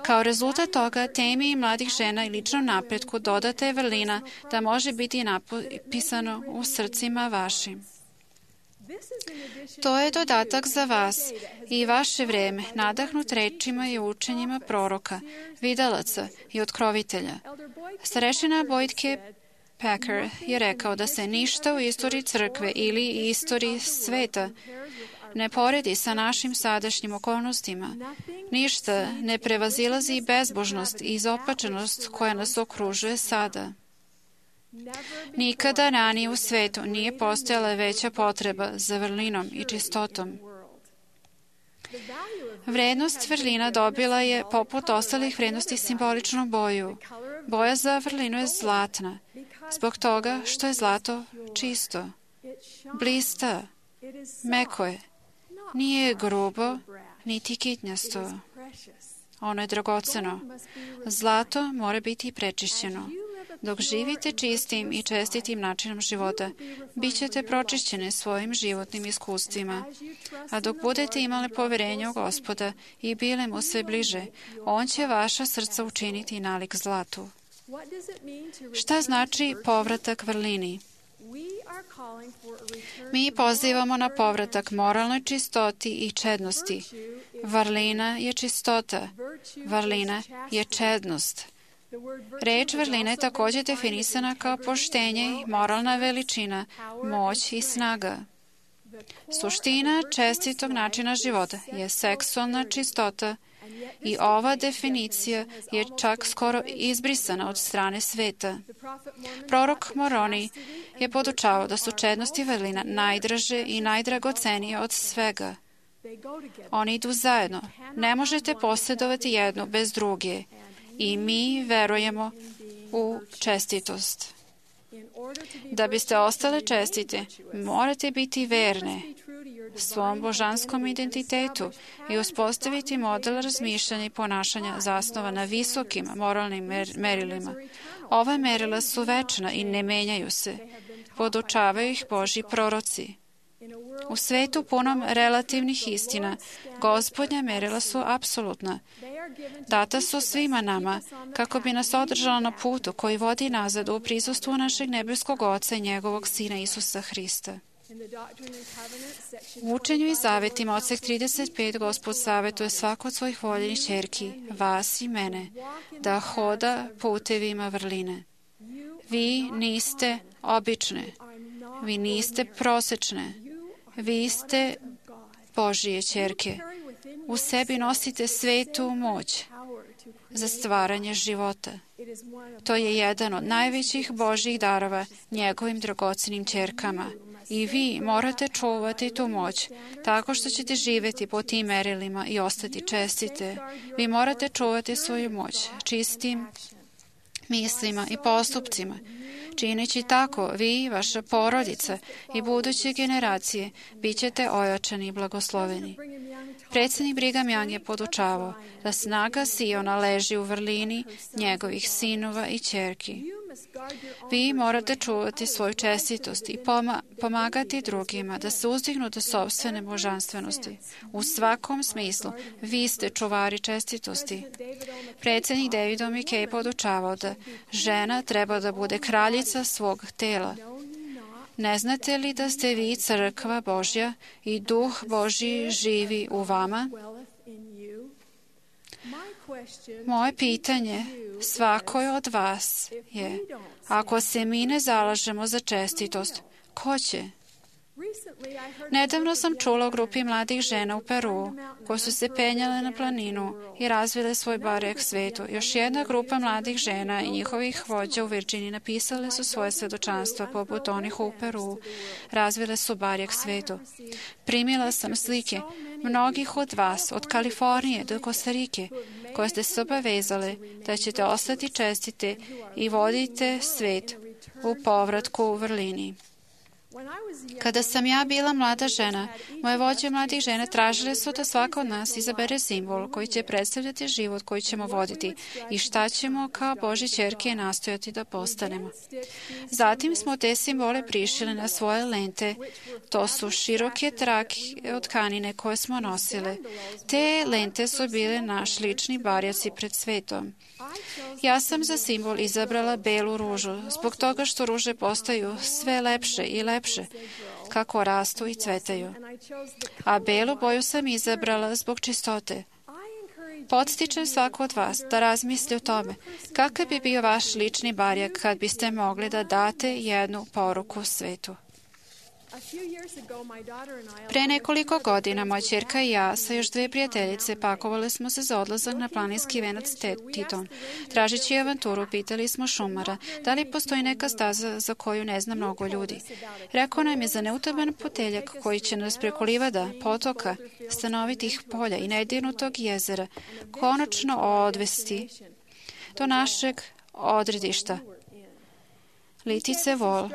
Kao rezultat toga, temi mladih žena i ličnom napretku dodata je vrlina da može biti napisano u srcima vašim. To je dodatak za vas i vaše vreme, nadahnut rečima i učenjima proroka, vidalaca i otkrovitelja. Starešina Boyd K. Packer je rekao da se ništa u istoriji crkve ili istoriji sveta ne poredi sa našim sadašnjim okolnostima. Ništa ne prevazilazi bezbožnost i izopačenost koja nas okružuje sada. Nikada ranije u svetu nije postojala veća potreba za vrlinom i čistotom. Vrednost vrlina dobila je, poput ostalih vrednosti, simboličnu boju. Boja za vrlinu je zlatna, zbog toga što je zlato čisto, blista, meko je, nije grubo, niti kitnjasto. Ono je dragoceno. Zlato mora biti prečišćeno. Dok živite čistim i čestitim načinom života, bit ćete pročišćene svojim životnim iskustvima. A dok budete imali poverenje u Gospoda i bili mu sve bliže, on će vaša srca učiniti nalik zlatu. Šta znači povratak vrlini? Mi pozivamo na povratak moralnoj čistoti i čednosti. Vrlina je čistota. Vrlina je čednost. Reč vrlina je također definisana kao poštenje, moralna veličina, moć i snaga. Suština čestitog načina života je seksualna čistota i ova definicija je čak skoro izbrisana od strane sveta. Prorok Moroni je podučavao da su čednost i vrlina najdraže i najdragocenije od svega. Oni idu zajedno. Ne možete posjedovati jednu bez druge. i mi verujemo u čestitost. Da biste ostale čestite, morate biti verne svom božanskom identitetu i uspostaviti model razmišljanja i ponašanja zasnovan na visokim moralnim merilima. Ova merila su večna i ne menjaju se. Podučavaju ih Božji proroci. U svetu punom relativnih istina, Gospodnja merila su apsolutna. Data su svima nama, kako bi nas održala na putu koji vodi nazad u prisustvu našeg nebeskog Oca i njegovog Sina Isusa Hrista. U učenju i zavetima odsek 35 Gospod savetuje svako od svojih voljenih ćerki, vas i mene, da hoda putevima vrline. Vi niste obične, vi niste prosečne, vi ste Božije ćerke. U sebi nosite svetu moć za stvaranje života. To je jedan od najvećih Božjih darova njegovim dragocenim ćerkama. I vi morate čuvati tu moć tako što ćete živjeti po tim merilima i ostati čestite. Vi morate čuvati svoju moć čistim mislima i postupcima. Čineći tako, vi, vaša porodica i buduće generacije bit ćete ojačani i blagosloveni. Predsjednik Brigham Young je podučavao da snaga Siona leži u vrlini njegovih sinova i ćerki. Vi morate čuvati svoju čestitost i pomagati drugima da se uzdignu do sopstvene božanstvenosti. U svakom smislu, vi ste čuvari čestitosti. Predsjednik David McKay podučavao da žena treba da bude kraljica svog tela. Ne znate li da ste vi crkva Božja i Duh Božji živi u vama? Moje pitanje svakoj od vas je, ako se mi ne zalažemo za čestitost, ko će? Nedavno sam čula o grupi mladih žena u Peru koje su se penjale na planinu i razvile svoj barjak svetu. Još jedna grupa mladih žena i njihovih vođa u Virginiji napisale su svoje svedočanstva poput onih u Peru. Razvile su barjak svetu. Primila sam slike mnogih od vas, od Kalifornije do Kostarike, koje ste se obavezale da ćete ostati čestite i vodite svet u povratku u vrlini. Kada sam ja bila mlada žena, moje vođe mladih žena tražile su da svaka od nas izabere simbol koji će predstavljati život koji ćemo voditi i šta ćemo kao Božje ćerke nastojati da postanemo. Zatim smo te simbole prišili na svoje lente. To su široke trake od tkanine koje smo nosile. Te lente su bile naš lični barjaci pred svetom. Ja sam za simbol izabrala belu ružu, zbog toga što ruže postaju sve lepše i lepše, kako rastu i cvetaju. A belu boju sam izabrala zbog čistote. Podstičem svako od vas da razmisli o tome kakav bi bio vaš lični barjak kad biste mogli da date jednu poruku svetu. Pre nekoliko godina moja ćerka i ja sa još 2 prijateljice pakovali smo se za odlazak na planinski venac Teton. Tražeći avanturu, pitali smo šumara da li postoji neka staza za koju ne zna mnogo ljudi. Rekao nam je za neutaban puteljak koji će nas preko livada, potoka, stanovitih polja i nedirnutog jezera konačno odvesti do našeg odredišta. Litice Vol.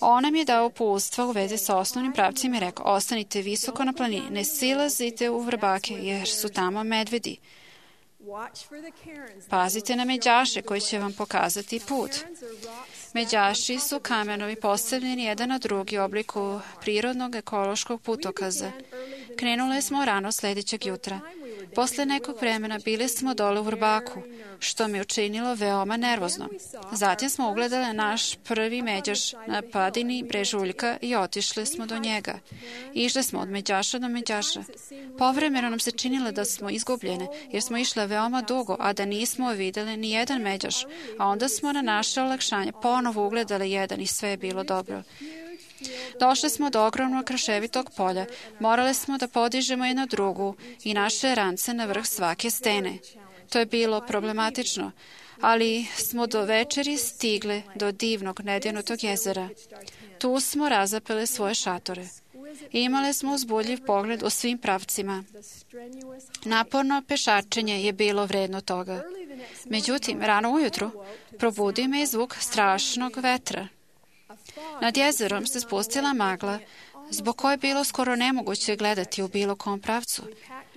On nam je dao uputstva u vezi sa osnovnim pravcima i rekao, ostanite visoko na planini, ne silazite u vrbake jer su tamo medvedi. Pazite na međaše koji će vam pokazati put. Međaši su kamenovi postavljeni jedan na drugi u obliku prirodnog ekološkog putokaza. Krenule smo rano sljedećeg jutra. Posle nekog vremena bili smo dole u vrbaku, što mi učinilo veoma nervozno. Zatim smo ugledali naš prvi međaš na padini brežuljka i otišli smo do njega. Išli smo od međaša do međaša. Povremeno nam se činilo da smo izgubljene, jer smo išle veoma dugo, a da nismo videli ni jedan međaš, a onda smo na naše olakšanje ponovo ugledali jedan i sve je bilo dobro. Došli smo do ogromnog kraševitog polja. Morali smo da podižemo jednu drugu i naše rance na vrh svake stene. To je bilo problematično, ali smo do večeri stigli do divnog nedirnutog jezera. Tu smo razapeli svoje šatore. Imale smo uzbudljiv pogled u svim pravcima. Naporno pešačenje je bilo vredno toga. Međutim, rano ujutru probudio me zvuk strašnog vetra. Nad jezerom se spustila magla, zbog koje je bilo skoro nemoguće gledati u bilo kom pravcu.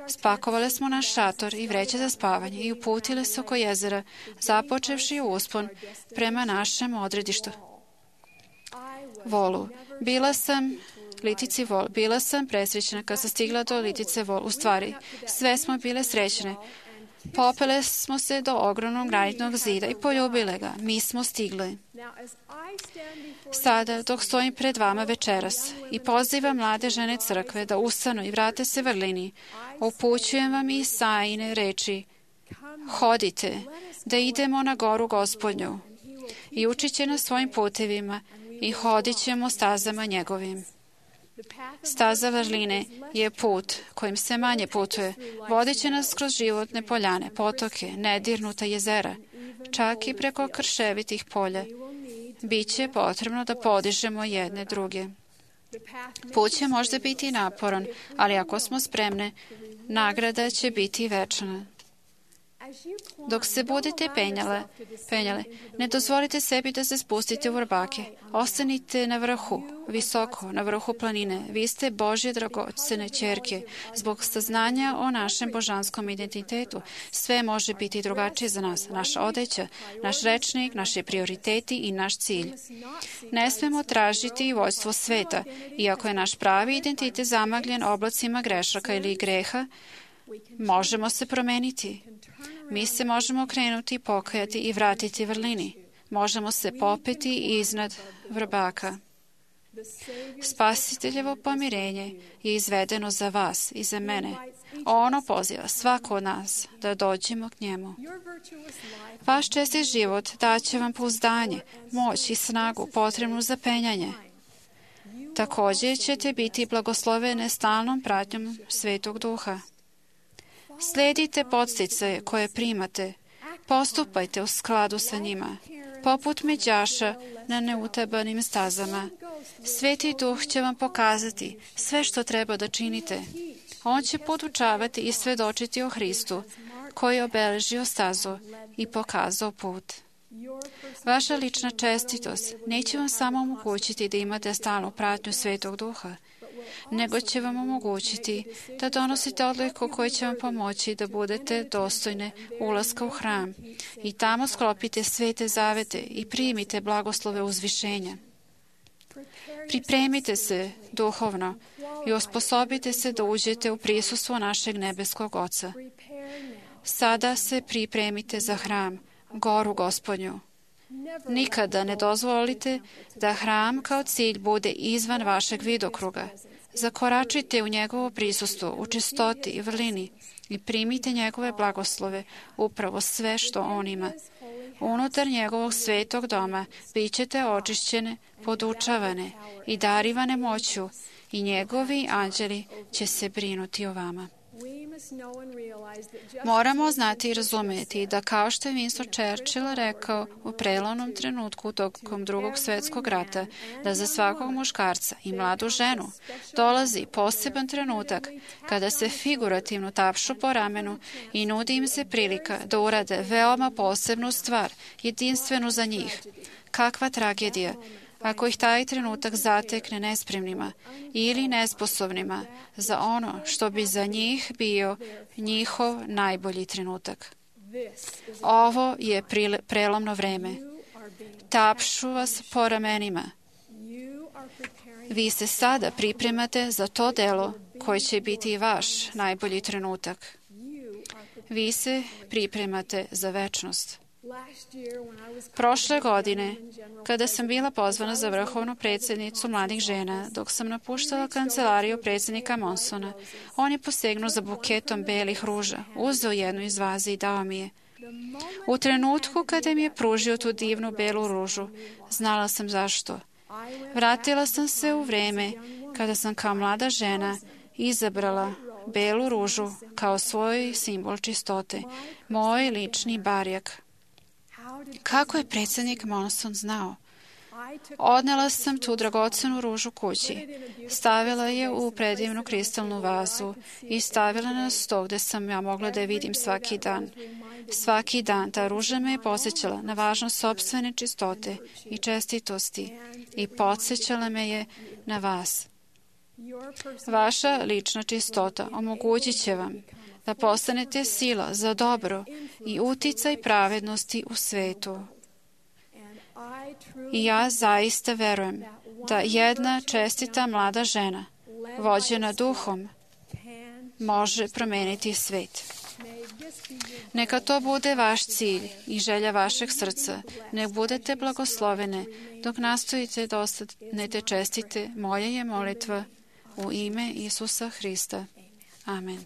Spakovali smo naš šator i vreće za spavanje i uputili se oko jezera, započevši uspon prema našem odredištu. Volu. Bila sam presrećena kad sam stigla do Litice Vol. U stvari, sve smo bile srećne. Popele smo se do ogromnog granitnog zida i poljubile ga. Mi smo stigli. Sada, dok stojim pred vama večeras i pozivam mlade žene crkve da ustanu i vrate se vrlini, upućujem vam Isaijine reči: hodite, da idemo na goru Gospodnju i učit će nas svojim putevima i hodit ćemo stazama njegovim. Staza vrline je put kojim se manje putuje. Vodit će nas kroz životne poljane, potoke, nedirnuta jezera, čak i preko krševitih polja. Biće potrebno da podižemo jedne druge. Put će možda biti naporan, ali ako smo spremne, nagrada će biti večna. Dok se budete penjale, ne dozvolite sebi da se spustite u vrbake. Ostanite na vrhu, visoko, na vrhu planine. Vi ste Božje dragocene ćerke. Zbog saznanja o našem božanskom identitetu, sve može biti drugačije za nas. Naša odeća, naš rečnik, naši prioriteti i naš cilj. Ne smemo tražiti vođstvo sveta, iako je naš pravi identitet zamagljen oblacima grešaka ili greha, možemo se promeniti. Mi se možemo okrenuti, pokajati i vratiti vrlini. Možemo se popeti iznad vrbaka. Spasiteljevo pomirenje je izvedeno za vas i za mene. Ono poziva svako od nas da dođemo k njemu. Vaš čestit život daće vam pouzdanje, moć i snagu potrebnu za penjanje. Također ćete biti blagoslovene stalnom pratnjom Svetog Duha. Slijedite podsticaje koje primate. Postupajte u skladu sa njima, poput međaša na neutabanim stazama. Sveti Duh će vam pokazati sve što treba da činite. On će podučavati i svedočiti o Hristu, koji je obeležio stazu i pokazao put. Vaša lična čestitost neće vam samo omogućiti da imate stalnu pratnju Svetog Duha, nego će vam omogućiti da donosite odluku koja će vam pomoći da budete dostojne ulaska u hram i tamo sklopite svete zavete i primite blagoslove uzvišenja. Pripremite se duhovno i osposobite se da uđete u prisustvo našeg nebeskog Oca. Sada se pripremite za hram, goru Gospodnju. Nikada ne dozvolite da hram kao cilj bude izvan vašeg vidokruga. Zakoračite u njegovo prisustvo, u čistoti i vrlini i primite njegove blagoslove, upravo sve što on ima. Unutar njegovog svetog doma bit ćete očišćene, podučavane i darivane moću i njegovi anđeli će se brinuti o vama. Moramo znati i razumjeti da kao što je Winston Churchill rekao u prelomnom trenutku tokom Drugog svjetskog rata, da za svakog muškarca i mladu ženu dolazi poseban trenutak kada se figurativno tapšu po ramenu i nudi im se prilika da urade veoma posebnu stvar, jedinstvenu za njih. Kakva tragedija ako ih taj trenutak zatekne nespremnima ili nesposobnima za ono što bi za njih bio njihov najbolji trenutak. Ovo je prelomno vreme. Tapšu vas po ramenima. Vi se sada pripremate za to delo koje će biti vaš najbolji trenutak. Vi se pripremate za večnost. Prošle godine, kada sam bila pozvana za vrhovnu predsjednicu mladih žena, dok sam napuštala kancelariju predsjednika Monsona, on je posegnuo za buketom belih ruža, uzeo jednu iz vaze i dao mi je. U trenutku kada mi je pružio tu divnu belu ružu, znala sam zašto. Vratila sam se u vreme kada sam kao mlada žena izabrala belu ružu kao svoj simbol čistote, moj lični barjak. Kako je predsjednik Monson znao? Odnela sam tu dragocenu ružu kući. Stavila je u predivnu kristalnu vazu i stavila na sto gde sam ja mogla da je vidim svaki dan. Svaki dan ta ruža me je podsjećala na važnost sopstvene čistote i čestitosti i podsjećala me je na vas. Vaša lična čistota omogućit će vam da postanete sila za dobro i uticaj pravednosti u svetu. I ja zaista verujem da jedna čestita mlada žena, vođena duhom, može promeniti svet. Neka to bude vaš cilj i želja vašeg srca. Nek budete blagoslovene dok nastojite da ostanete čestite. Moja je molitva u ime Isusa Hrista. Amen.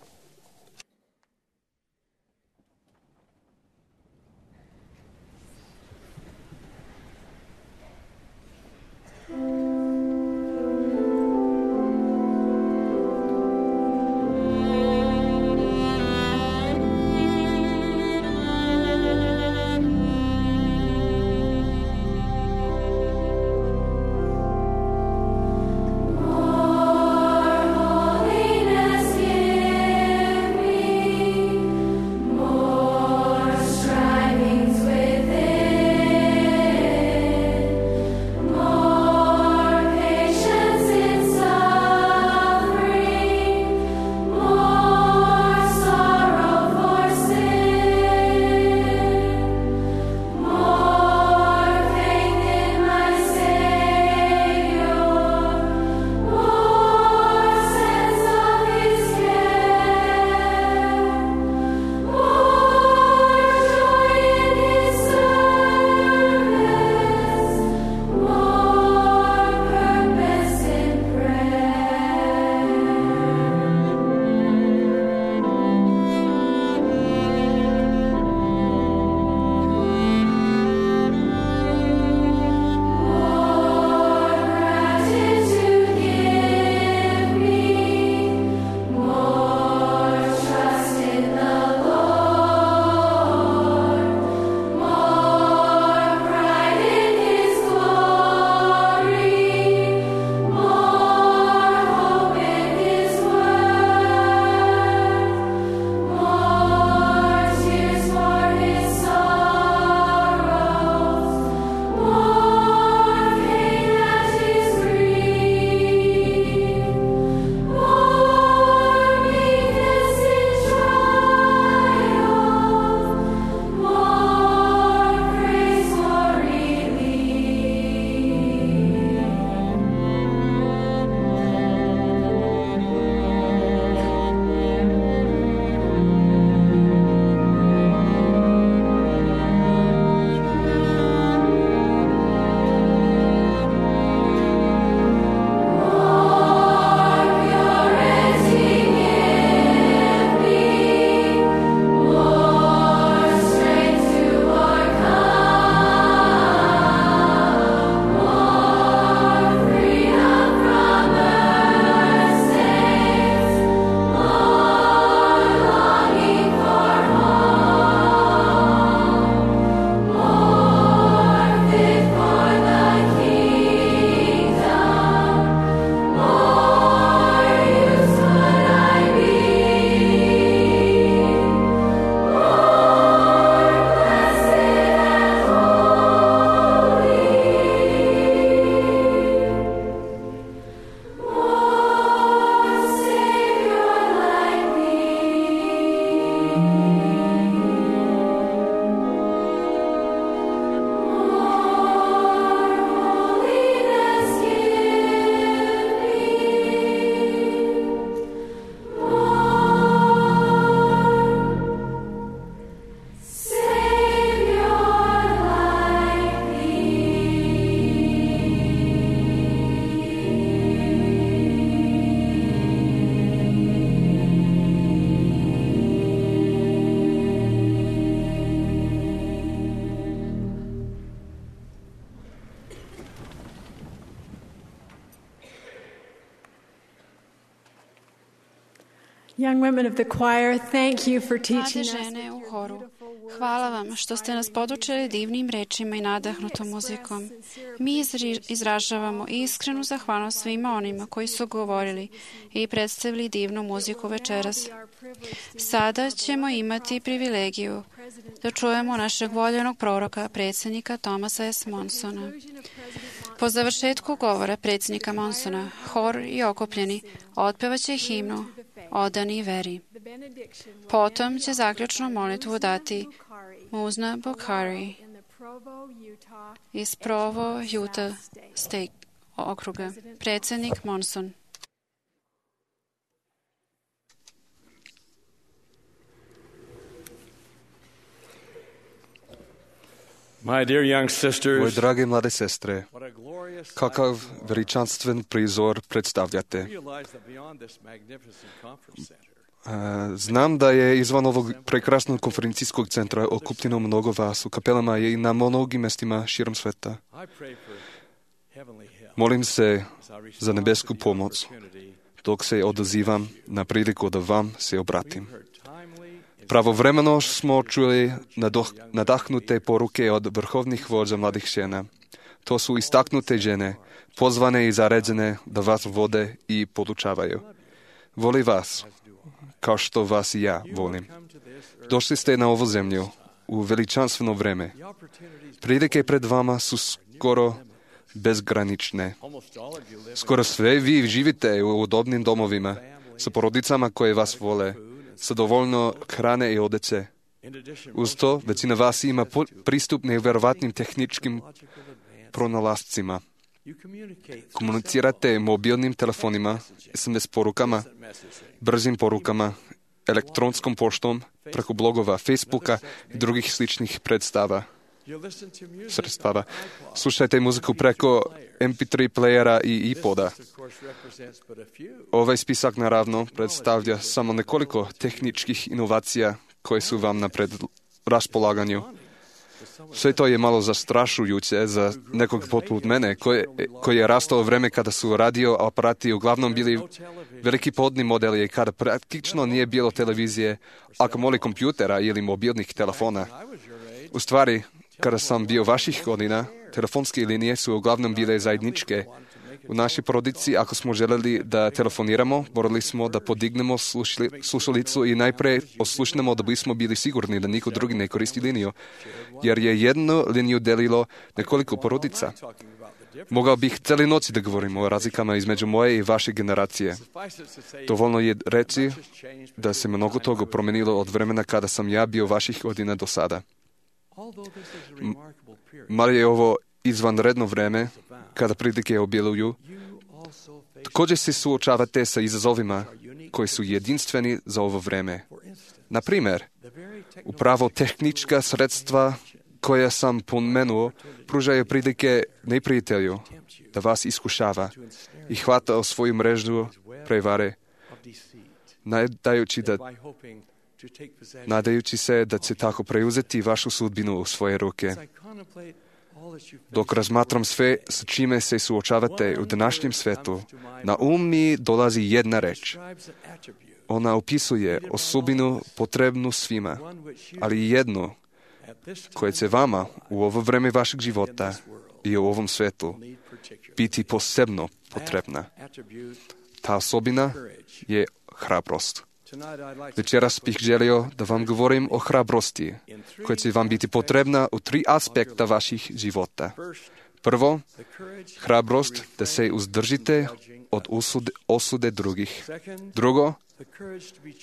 Young women of the choir, thank you for teaching Mlade us žene u horu, Hvala vam što ste nas podučili divnim rečima i nadahnutom muzikom. Mi izražavamo iskrenu zahvalnost svima onima koji su govorili i predstavili divnu muziku večeras. Sada ćemo imati privilegiju da čujemo našeg voljenog proroka, predsjednika Thomasa S. Monsona. Po završetku govora predsjednika Monsona, hor i okupljeni otpevaće himnu Odani veri. Potom će zaključnu molitvu dati Muzna Bukhari iz Provo, Utah State okruga. Predsjednik Monson. My dear young sisters, Moje drage mlade sestre, kakav veličanstven prizor predstavljate. Znam da je izvan ovog prekrasnog konferencijskog centra okupljeno mnogo vas u kapelama i na mnogim mjestima širom sveta. Molim se za nebesku pomoć dok se odazivam na priliku da vam se obratim. Pravovremeno smo čuli nadahnute poruke od vrhovnih vođa mladih žena. To su istaknute žene, pozvane i zaređene da vas vode i podučavaju. Voli vas, kao što vas i ja volim. Došli ste na ovu zemlju u veličanstveno vreme. Prilike pred vama su skoro bezgranične. Skoro sve vi živite u udobnim domovima, sa porodicama koje vas vole, sa dovoljno hrane i odeće. Uz to, većina vas ima pristup nevjerovatnim tehničkim pronalascima. Komunicirate mobilnim telefonima, SMS porukama, brzim porukama, elektronskom poštom, preko blogova, Facebooka i drugih sličnih sredstava. Slušajte muziku preko MP3 playera i iPoda. Ovaj spisak naravno predstavlja samo nekoliko tehničkih inovacija koje su vam na raspolaganju. Sve to je malo zastrašujuće za nekog poput mene, koji je rastao u vreme kada su radio aparati uglavnom bili veliki podni modeli i kada praktično nije bilo televizije, a kamoli kompjutera ili mobilnih telefona. U stvari, kada sam bio vaših godina, telefonske linije su uglavnom bile zajedničke. U našoj porodici, ako smo željeli da telefoniramo, morali smo da podignemo slušalicu i najprije oslušnemo da bismo bili sigurni da niko drugi ne koristi liniju, jer je jednu liniju delilo nekoliko porodica. Mogao bih cijeli noći da govorimo o razlikama između moje i vaše generacije. Dovoljno je reći da se mnogo toga promenilo od vremena kada sam ja bio vaših godina do sada. Mar je ovo izvanredno vreme, kada prilike obiluju, također se suočavate sa izazovima koji su jedinstveni za ovo vreme. Na primjer, upravo tehnička sredstva koja sam pomenuo pružaju prilike neprijatelju da vas iskušava i hvata o svoju mrežu prevare, nadajući se da će tako preuzeti vašu sudbinu u svoje ruke. Dok razmatram sve s čime se suočavate u današnjem svetu, na mi dolazi jedna reč. Ona opisuje osobinu potrebnu svima, ali jednu koja će vama u ovo vreme vašeg života i u ovom svetu biti posebno potrebna. Ta osobina je hrabrost. Večeras bih želio da vam govorim o hrabrosti, koja će vam biti potrebna u 3 aspekta vaših života. Prvo, hrabrost da se uzdržite od osude drugih. Drugo,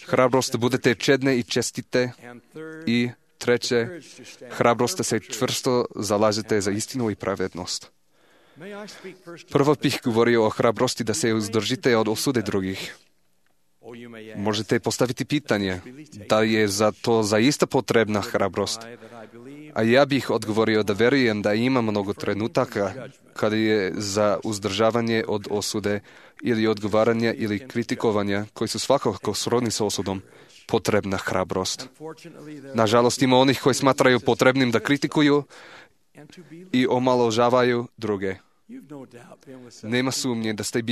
hrabrost da budete čedne i čestite. I treće, hrabrost da se čvrsto zalažete za istinu i pravednost. Prvo bih govorio o hrabrosti da se uzdržite od osude drugih. Možete postaviti pitanje, da je za to zaista potrebna hrabrost? A ja bih odgovorio da verujem da ima mnogo trenutaka kada je za uzdržavanje od osude ili odgovaranja ili kritikovanja, koji su svakako srodni sa osudom, potrebna hrabrost. Nažalost, ima onih koji smatraju potrebnim da kritikuju i omalovažavaju druge. Nema sumnje da ste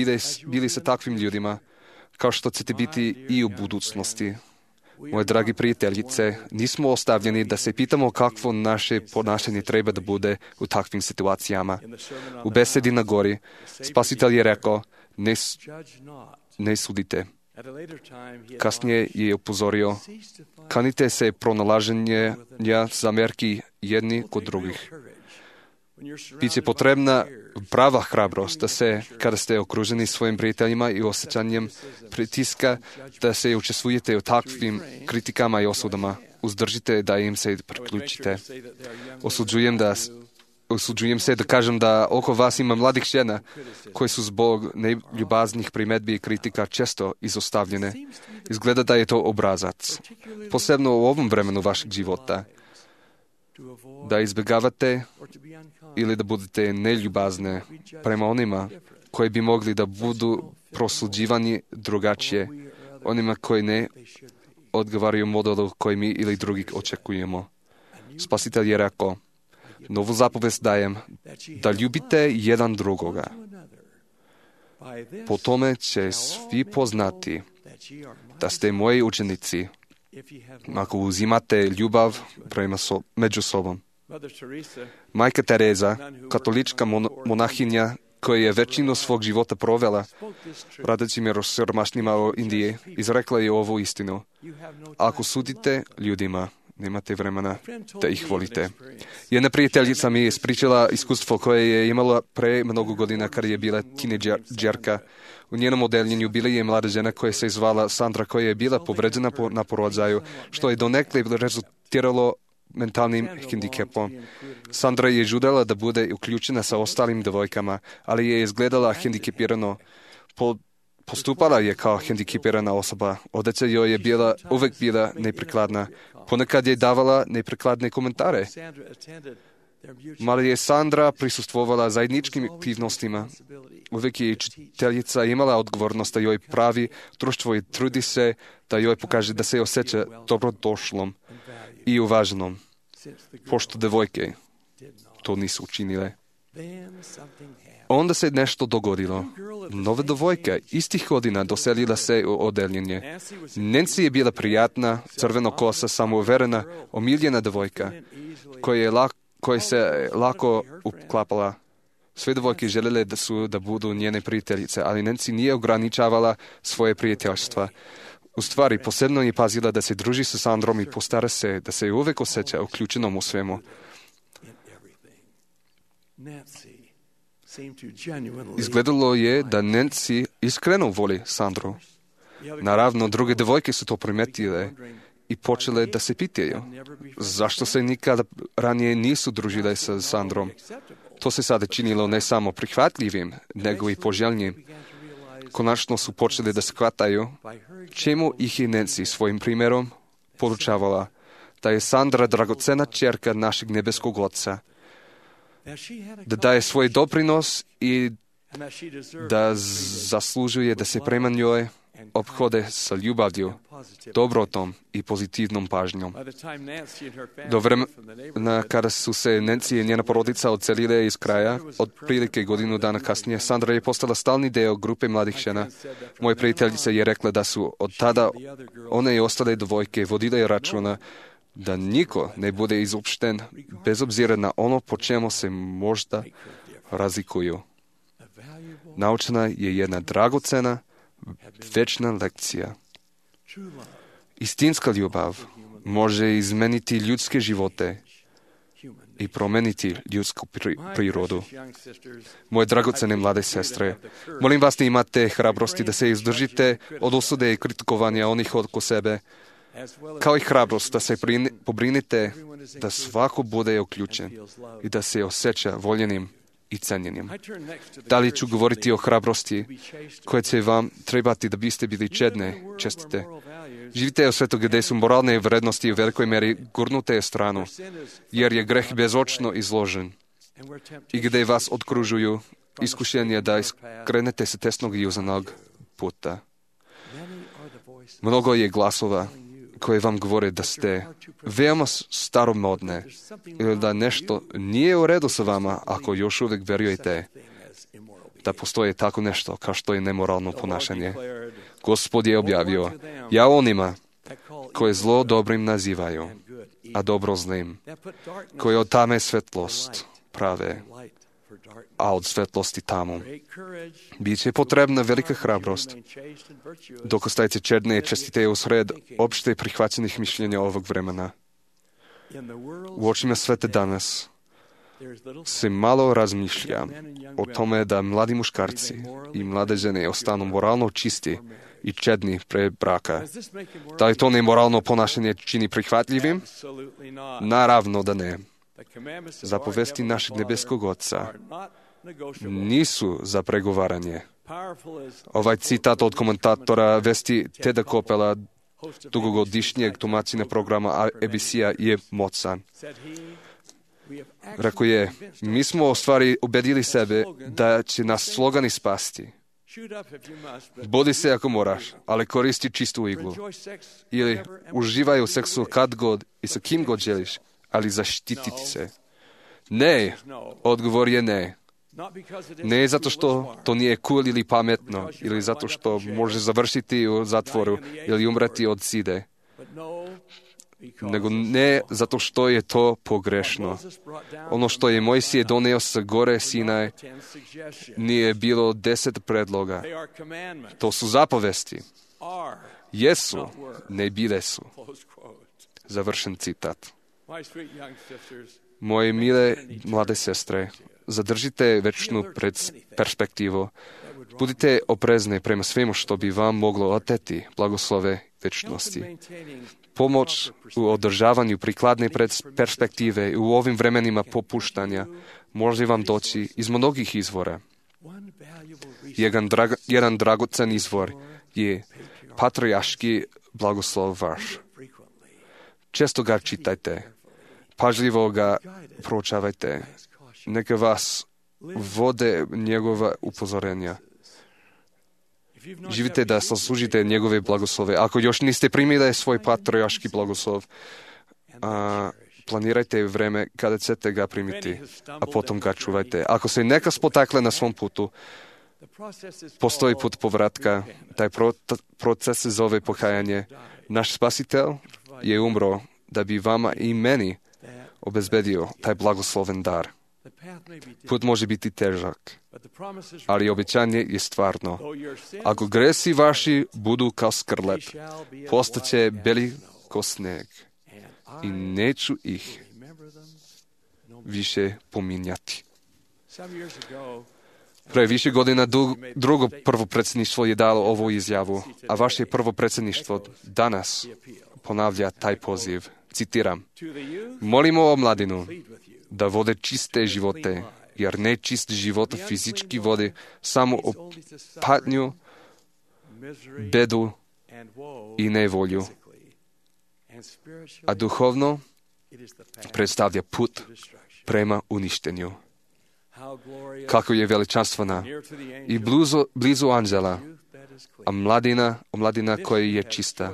bili sa takvim ljudima, kao što ćete biti i u budućnosti. Moje dragi prijateljice, nismo ostavljeni da se pitamo kakvo naše ponašanje treba da bude u takvim situacijama. U besedi na gori, Spasitelj je rekao, ne sudite. Kasnije je upozorio, kanite se pronalaženja zamjerki jedni kod drugih. Biće potrebna prava hrabrost da se, kada ste okruženi svojim prijateljima i osjećanjem pritiska, da se učestvujete u takvim kritikama i osudama. Uzdržite da im se priključite. Osuđujem se da kažem da oko vas ima mladih žena koje su zbog neljubaznih primjedbi i kritika često izostavljene. Izgleda da je to obrazac. Posebno u ovom vremenu vašeg života. Da izbjegavate ili da budete neljubazne prema onima koji bi mogli da budu prosuđivani drugačije, onima koji ne odgovaraju modelu koji mi ili drugi očekujemo. Spasitelj je rekao, novu zapovest dajem, da ljubite jedan drugoga. Po tome će svi poznati da ste moji učenici, ako uzimate ljubav među sobom. Majka Tereza, katolička monahinja, koja je većinu svog života provela radeći siromašnima u Indiji, izrekla je ovu istinu. Ako sudite ljudima, nemate vremena da ih volite. Jedna prijateljica mi je ispričala iskustvo koje je imala pre mnogo godina kada je bila tinejdžerka. U njenom odeljenju bila je mlada žena koja se zvala Sandra, koja je bila povređena na porođaju, što je donekle rezultiralo mentalnim hendikepom. Sandra je žudela da bude uključena sa ostalim devojkama, ali je izgledala hendikepirano. Postupala je kao hendikepirana osoba. Odeća joj je uvek bila neprikladna. Ponekad je davala neprikladne komentare. Mali je Sandra prisustvovala zajedničkim aktivnostima. Uvek je učiteljica imala odgovornost da joj pravi društvo i trudi se da joj pokaže da se osjeća dobrodošlom i uvaženom, pošto devojke to nisu učinile. Onda se nešto dogodilo. Nova devojka istih godina doselila se u odeljenje. Nancy je bila prijatna, crvenokosa, samouverena, omiljena devojka, koja se lako uklapala. Sve devojke željele da budu njene prijateljice, ali Nancy nije ograničavala svoje prijateljstva. U stvari, posebno je pazila da se druži sa Sandrom i postara se da se uvek osjeća uključenom u svemu. Izgledalo je da Nancy iskreno voli Sandru. Naravno, druge devojke su to primetile i počele da se pitaju zašto se nikada ranije nisu družile sa Sandrom. To se sada činilo ne samo prihvatljivim, nego i poželjnim. Konačno su počeli da shvataju čemu ih je Nancy svojim primjerom poručavala da je Sandra dragocena ćerka našeg nebeskog Oca, da daje svoj doprinos i da zaslužuje da se prema njoj ophode sa ljubavlju, dobrotom i pozitivnom pažnjom. Do vremena kada su se Nancy i njena porodica odselile iz kraja, otprilike godinu dana kasnije, Sandra je postala stalni deo grupe mladih žena. Moja prijateljica je rekla da su od tada one i ostale devojke vodile računa da niko ne bude izopšten bez obzira na ono po čemu se možda razlikuju. Naučena je jedna dragocena, večna lekcija. Istinska ljubav može izmeniti ljudske živote i promeniti ljudsku prirodu. Moje dragocene mlade sestre, molim vas da imate hrabrosti da se izdržite od osude i kritikovanja onih oko sebe, kao i hrabrost da se pobrinite da svako bude uključen i da se osjeća voljenim i cenjenim. Dalje ću govoriti o hrabrosti koje će vam trebati da biste bili čestite. Živite u svetu gdje su moralne vrednosti u velikoj meri gurnute stranu, jer je greh bezočno izložen i gdje vas okružuju iskušenje da skrenete sa tesnog i uzanog puta. Mnogo je glasova koje vam govore da ste veoma staromodne ili da nešto nije u redu sa vama ako još uvijek vjerujete da postoje tako nešto kao što je nemoralno ponašanje. Gospod je objavio, ja onima koje zlo dobrim nazivaju, a dobro zlim, koje od tame svetlost prave, a od svetlosti tamu. Biće potrebna velika hrabrost dok ostajete čedne i čestite usred opšte prihvaćenih mišljenja ovog vremena. U očima sveta danas se malo razmišlja o tome da mladi muškarci i mlade žene ostanu moralno čisti i čedni pre braka. Da li to nemoralno ponašanje čini prihvatljivim? Naravno da ne. Zapovesti našeg nebeskog Oca nisu za pregovaranje. Ovaj citat od komentatora vesti Teda Kopela, dugogodišnjeg tumačenja programa ABC-a, je moćan. Rekao je, mi smo u stvari ubedili sebe da će nas slogani spasti. Budi se ako moraš, ali koristi čistu iglu. Ili uživaj u seksu kad god i sa kim god želiš, ali zaštititi se. Ne, odgovor je ne. Ne zato što to nije cool ili pametno, ili zato što može završiti u zatvoru ili umreti od side. Nego ne zato što je to pogrešno. Ono što je Mojsije doneo sa gore Sinaj nije bilo 10 predloga. To su zapovesti. Jesu, ne bile su. Završen citat. Moje mile mlade sestre, zadržite večnu perspektivu. Budite oprezni prema svemu što bi vam moglo oteti blagoslove večnosti. Pomoć u održavanju prikladne perspektive u ovim vremenima popuštanja može vam doći iz mnogih izvora. Jedan dragocen izvor je patrijarški blagoslov vaš. Često ga čitajte, pažljivo ga proučavajte. Neka vas vode njegova upozorenja. Živite da zaslužite njegove blagoslove. Ako još niste primili svoj patrijarški blagoslov, planirajte vreme kada ćete ga primiti, a potom ga čuvajte. Ako se neka spotakle na svom putu, postoji put povratka. Taj proces se zove pokajanje. Naš spasitelj je umro da bi vama i meni obezbedio taj blagosloven dar. Put može biti težak, ali obećanje je stvarno. Ako gresi vaši budu kao skrlep, postaće beli ko sneg i neću ih više pominjati. Pre više godina drugo prvo predsjedništvo je dalo ovu izjavu, a vaše prvo predsjedništvo danas ponavlja taj poziv. Citiram, molimo o mladinu da vode čiste živote, jer nečist život fizički vodi samo o patnju, bedu i nevolju, a duhovno predstavlja put prema uništenju. Kako je veličanstvena i blizu anđela, a omladina koja je čista.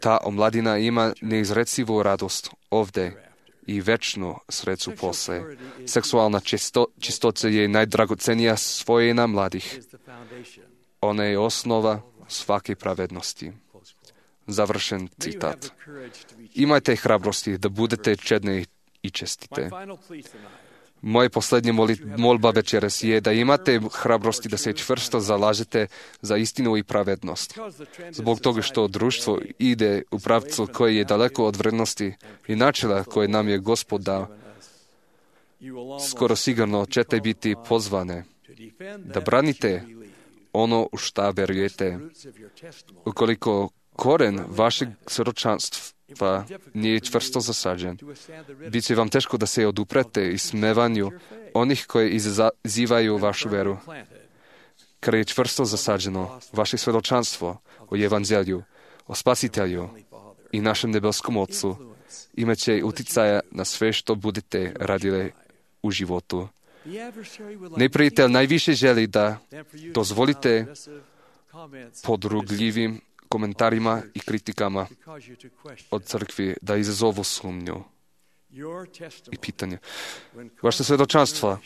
Ta omladina ima neizrecivu radost ovde i večnu sreću posle. Seksualna čistoća je najdragocenija svojina mladih. Ona je osnova svake pravednosti. Završen citat. Imajte hrabrosti da budete čedni i čestite. Moje posljednja molba večeras je da imate hrabrosti da se čvrsto zalažete za istinu i pravednost. Zbog toga što društvo ide u pravcu koji je daleko od vrednosti i načela koje nam je Gospod dao, skoro sigurno ćete biti pozvane da branite ono u šta verujete. Ukoliko koren vašeg svjedočanstva nije čvrsto zasađen, bit će vam teško da se oduprete ismevanju onih koji izazivaju vašu veru. Kada je čvrsto zasađeno vaše svjedočanstvo o evanđelju, o spasitelju i našem nebeskom Otcu, imat će uticaja na sve što budete radili u životu. Neprijatelj najviše želi da dozvolite podrugljivim komentarima i kritikama od crkvi da izazovu sumnju i pitanje. Vaše svjedočanstvo,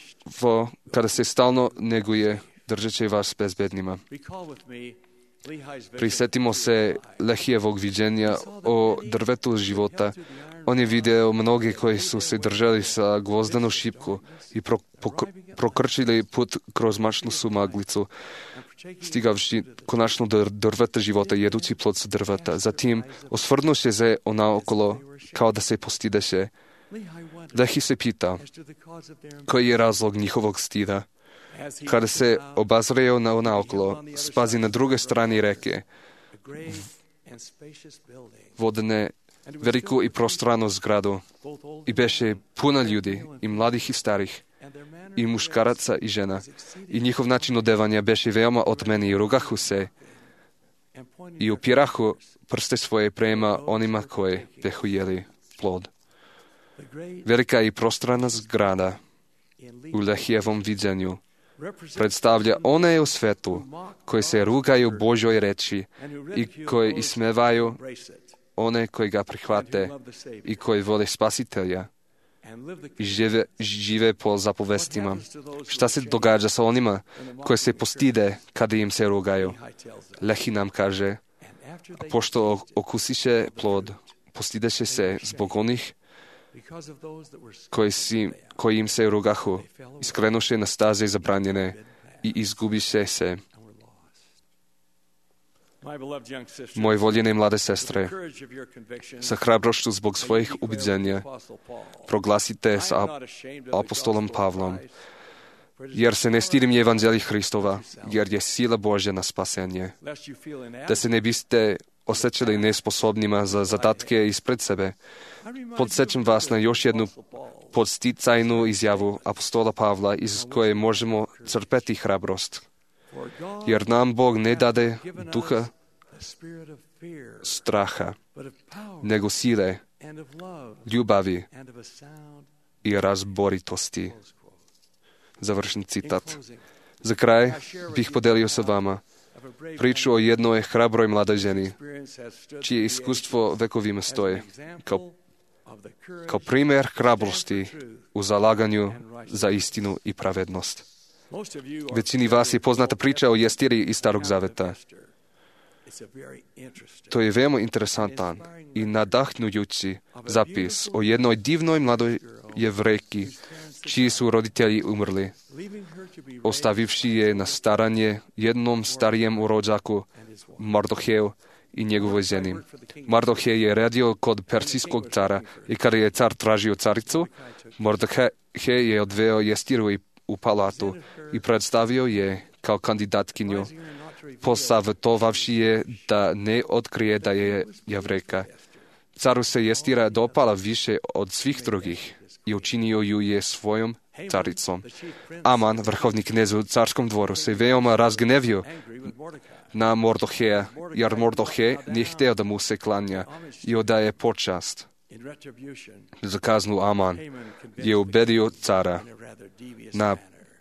kada se stalno neguje, držat će vas bezbednima. Prisetimo se Lehijevog viđenja o drvetu života. On je video mnogi koji su se držali sa gvozdenu šipku i prokrčili put kroz mačnu sumaglicu, stigavši konačno do drveta života, jedući plod sa drveta. Zatim, osvrnuše se naokolo, kao da se postideše. Lehi se pita, koji je razlog njihovog stida. Kada se obazreo naokolo, spazi na druge strani reke, vodene veliku i prostranu zgradu, i beše puno ljudi, i mladih i starih, i muškaraca i žena. I njihov način odevanja beše veoma otmeni i rugahu se i upirahu prste svoje prema onima koji behu jeli plod. Velika i prostrana zgrada u Lehijevom viđenju predstavlja one u svetu koji se rugaju Božoj reči i koji ismevaju one koji ga prihvate i koji vole Spasitelja i žive po zapovestima. Šta se događa sa onima koji se postide kada im se rugaju? Lehi nam kaže, a pošto okusiše plod, postideše se zbog onih koji im se rugahu, iskrenuše na staze zabranjene i izgubiše se. Moje voljene mlade sestre, sa hrabrošću zbog svojih ubiđenja proglasite sa apostolom Pavlom, jer se ne stidim evanđelja Hristova, jer je sila Božja na spasenje. Da se ne biste osjećali nesposobnima za zadatke ispred sebe. Podsjećam vas na još jednu podsticajnu izjavu apostola Pavla iz koje možemo crpeti hrabrost. Jer nam Bog ne dade duha straha, nego sile, ljubavi i razboritosti. Završen citat. Za kraj bih podelio sa vama priču o jednoj hrabroj mladoj ženi, čije iskustvo vekovima stoje, kao primjer hrabrosti u zalaganju za istinu i pravednost. Većini vas je poznata priča o Jestiri iz Starog Zaveta. To je veoma interesantan i nadahnujući zapis o jednoj divnoj mladoj Jevrejki, čiji su roditelji umrli, ostavivši je na staranje jednom starijem rođaku, Mardoheju i njegovoj ženi. Mardohej je radio kod persijskog cara i kada je car tražio caricu, Mardohej je odveo Jestiru u palatu i predstavio je kao kandidatkinju, posavjetovavši je da ne otkrije da je Jevrejka. Caru se Jestira dopala više od svih drugih i učinio ju je svojom caricom. Aman, vrhovni knez u carskom dvoru, se veoma razgnevio na Mardoheja, jer Mardohej nije htio da mu se klanja i odaje počast. Za kaznu Aman je ubedio cara na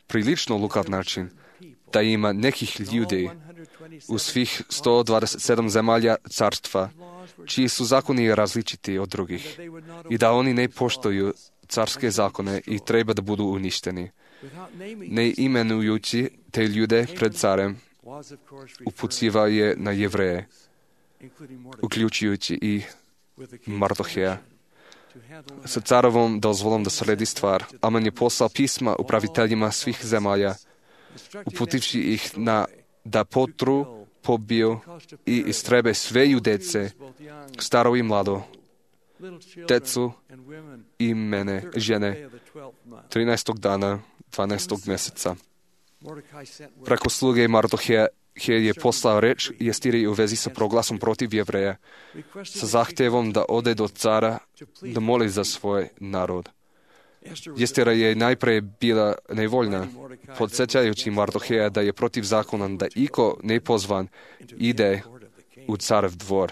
prilično lukav način da ima nekih ljudi u svih 127 zemalja carstva, čiji su zakoni različiti od drugih i da oni ne poštuju carske zakone i treba da budu uništeni. Ne imenujući te ljude pred carem, upucivao je na Jevreje, uključujući i Mardoheja. Sa carovom dozvolom da sredi stvar, Aman je poslao pisma upraviteljima svih zemalja, uputivši ih da potru, pobiju i istrebe sve Judece, staro i mlado, decu i mene, žene, 13. dana 12. mjeseca. Preko sluge Mardoheja je poslao reč Jestiri u vezi sa proglasom protiv Jevreja, sa zahtjevom da ode do cara da moli za svoj narod. Jestira je najprije bila nevoljna, podsjećajući Mardoheja da je protiv zakona da iko nepozvan ide u carev dvor.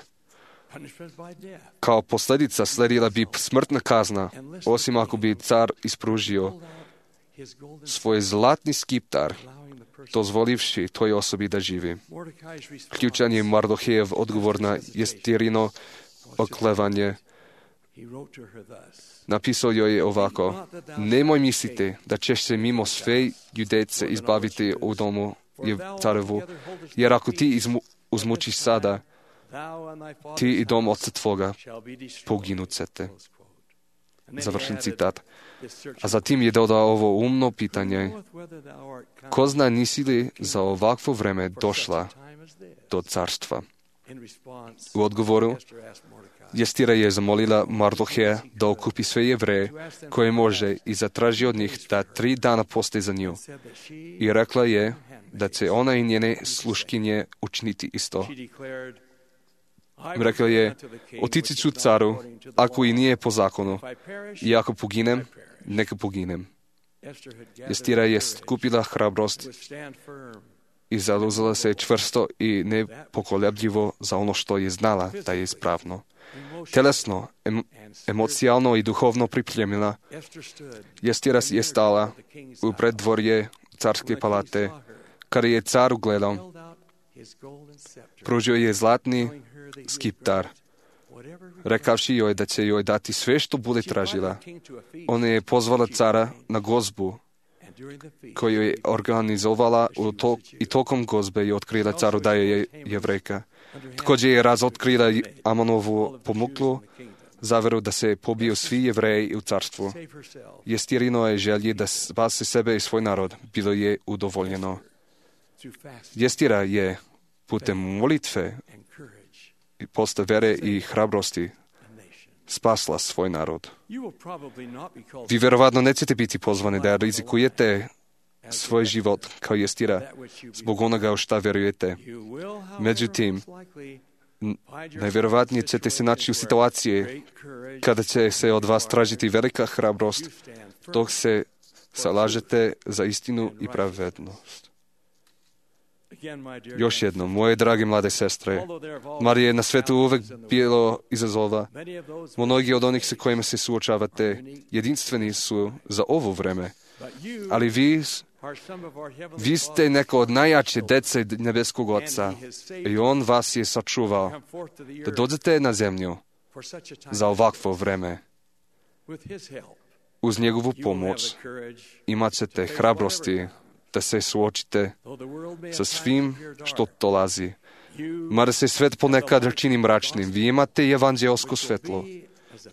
Kao posljedica sledila bi smrtna kazna, osim ako bi car ispružio svoj zlatni skiptar, dozvolivši toj osobi da živi. Ključan je Mardohejev odgovor na Jestirino oklevanje. Napisao joj je ovako: nemoj misliti da ćeš se mimo sve Judejce izbaviti u domu carevu, jer ako ti uzmučiš sada, ti i dom oca tvoga poginut ćete. Završen citat. A zatim je dodao ovo umno pitanje. Ko zna, nisi li za ovakvo vreme došla do carstva? U odgovoru Jestira je zamolila Mardoheja da okupi sve Jevreje koje može i zatraži od njih da 3 dana poste za nju. I rekla je da će ona i njene sluškinje učiniti isto. Rekla je, otići ću caru, ako i nije po zakonu, i ako poginem, neka poginem. Jestira je skupila hrabrost i zauzela se čvrsto i nepokolebljivo za ono što je znala da je ispravno. Telesno, emocijalno i duhovno pripremljena, Jestira je stala u preddvorje carske palate. Kada je car ugledao, pružio je zlatni skiptar, rekavši joj da će joj dati sve što bude tražila. Ona je pozvala cara na gozbu koju je organizovala i tokom gozbe je otkrila caru da je Jevrejka. Također je razotkrila Amonovu pomuklu zaveru da se pobiju svi Jevreji u carstvu. Jestirino je želji da spase sebe i svoj narod bilo je udovoljeno. Jestira je putem molitve i posta vere i hrabrosti spasla svoj narod. Vi vjerovatno nećete biti pozvani da rizikujete svoj život kao Jestira zbog onoga u šta vjerujete. Međutim, najvjerovatnije ćete se naći u situaciji kada će se od vas tražiti velika hrabrost dok se zalažete za istinu i pravednost. Još jednom, moje drage mlade sestre, Marija je na svetu uvek bilo izazova. Mnogi od onih sa kojima se suočavate jedinstveni su za ovo vreme, ali vi ste neko od najjače dece nebeskog Oca i On vas je sačuvao da dođete na zemlju za ovakvo vreme. Uz njegovu pomoć imat ćete hrabrosti da se suočite sa svim što dolazi. Mada se svet ponekad čini mračnim, vi imate evanđelsko svetlo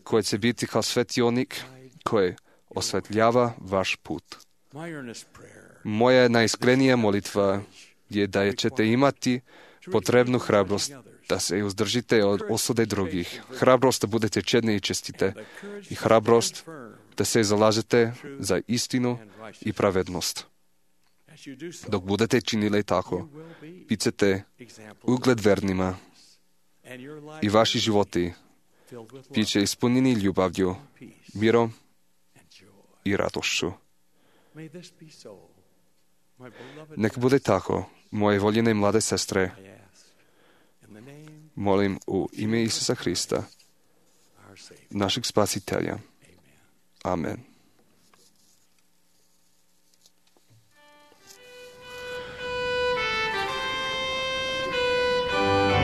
koje će biti kao svetionik koje osvetljava vaš put. Moja najiskrenija molitva je da ćete imati potrebnu hrabrost da se uzdržite od osude drugih, hrabrost da budete čedni i čestite i hrabrost da se zalažete za istinu i pravednost. Dok budete činili tako, bit ćete ugled vernima i vaši životi bit će ispunjeni ljubavlju, mirom i radošću. Nek bude tako, moje voljene mlade sestre, molim u ime Isusa Hrista, našeg spasitelja. Amen. True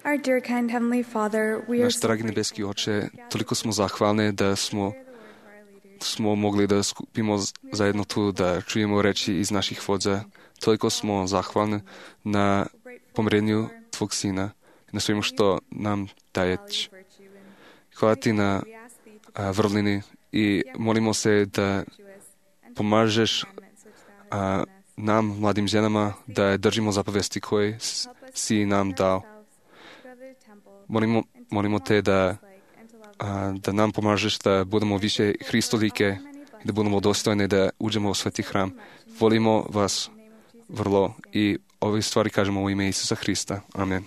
Our dear kind Heavenly Father, we are Náš dragý nebeský Oče, toliko smo zahvalni da smo mogli da skupimo zajedno tu, da čujemo reči iz naših vodza. Toliko smo zahvalni na pomirenju Tvog Sina, na svemu što nam daješ. Hvala Ti na vrlini i molimo se da pomažeš nam, mladim ženama, da držimo zapovesti koje si nam dao. Molimo Te da nam pomažeš da budemo više Hristolike, da budemo dostojni da uđemo u sveti hram. Volimo vas vrlo i ove stvari kažemo u ime Isusa Hrista. Amen.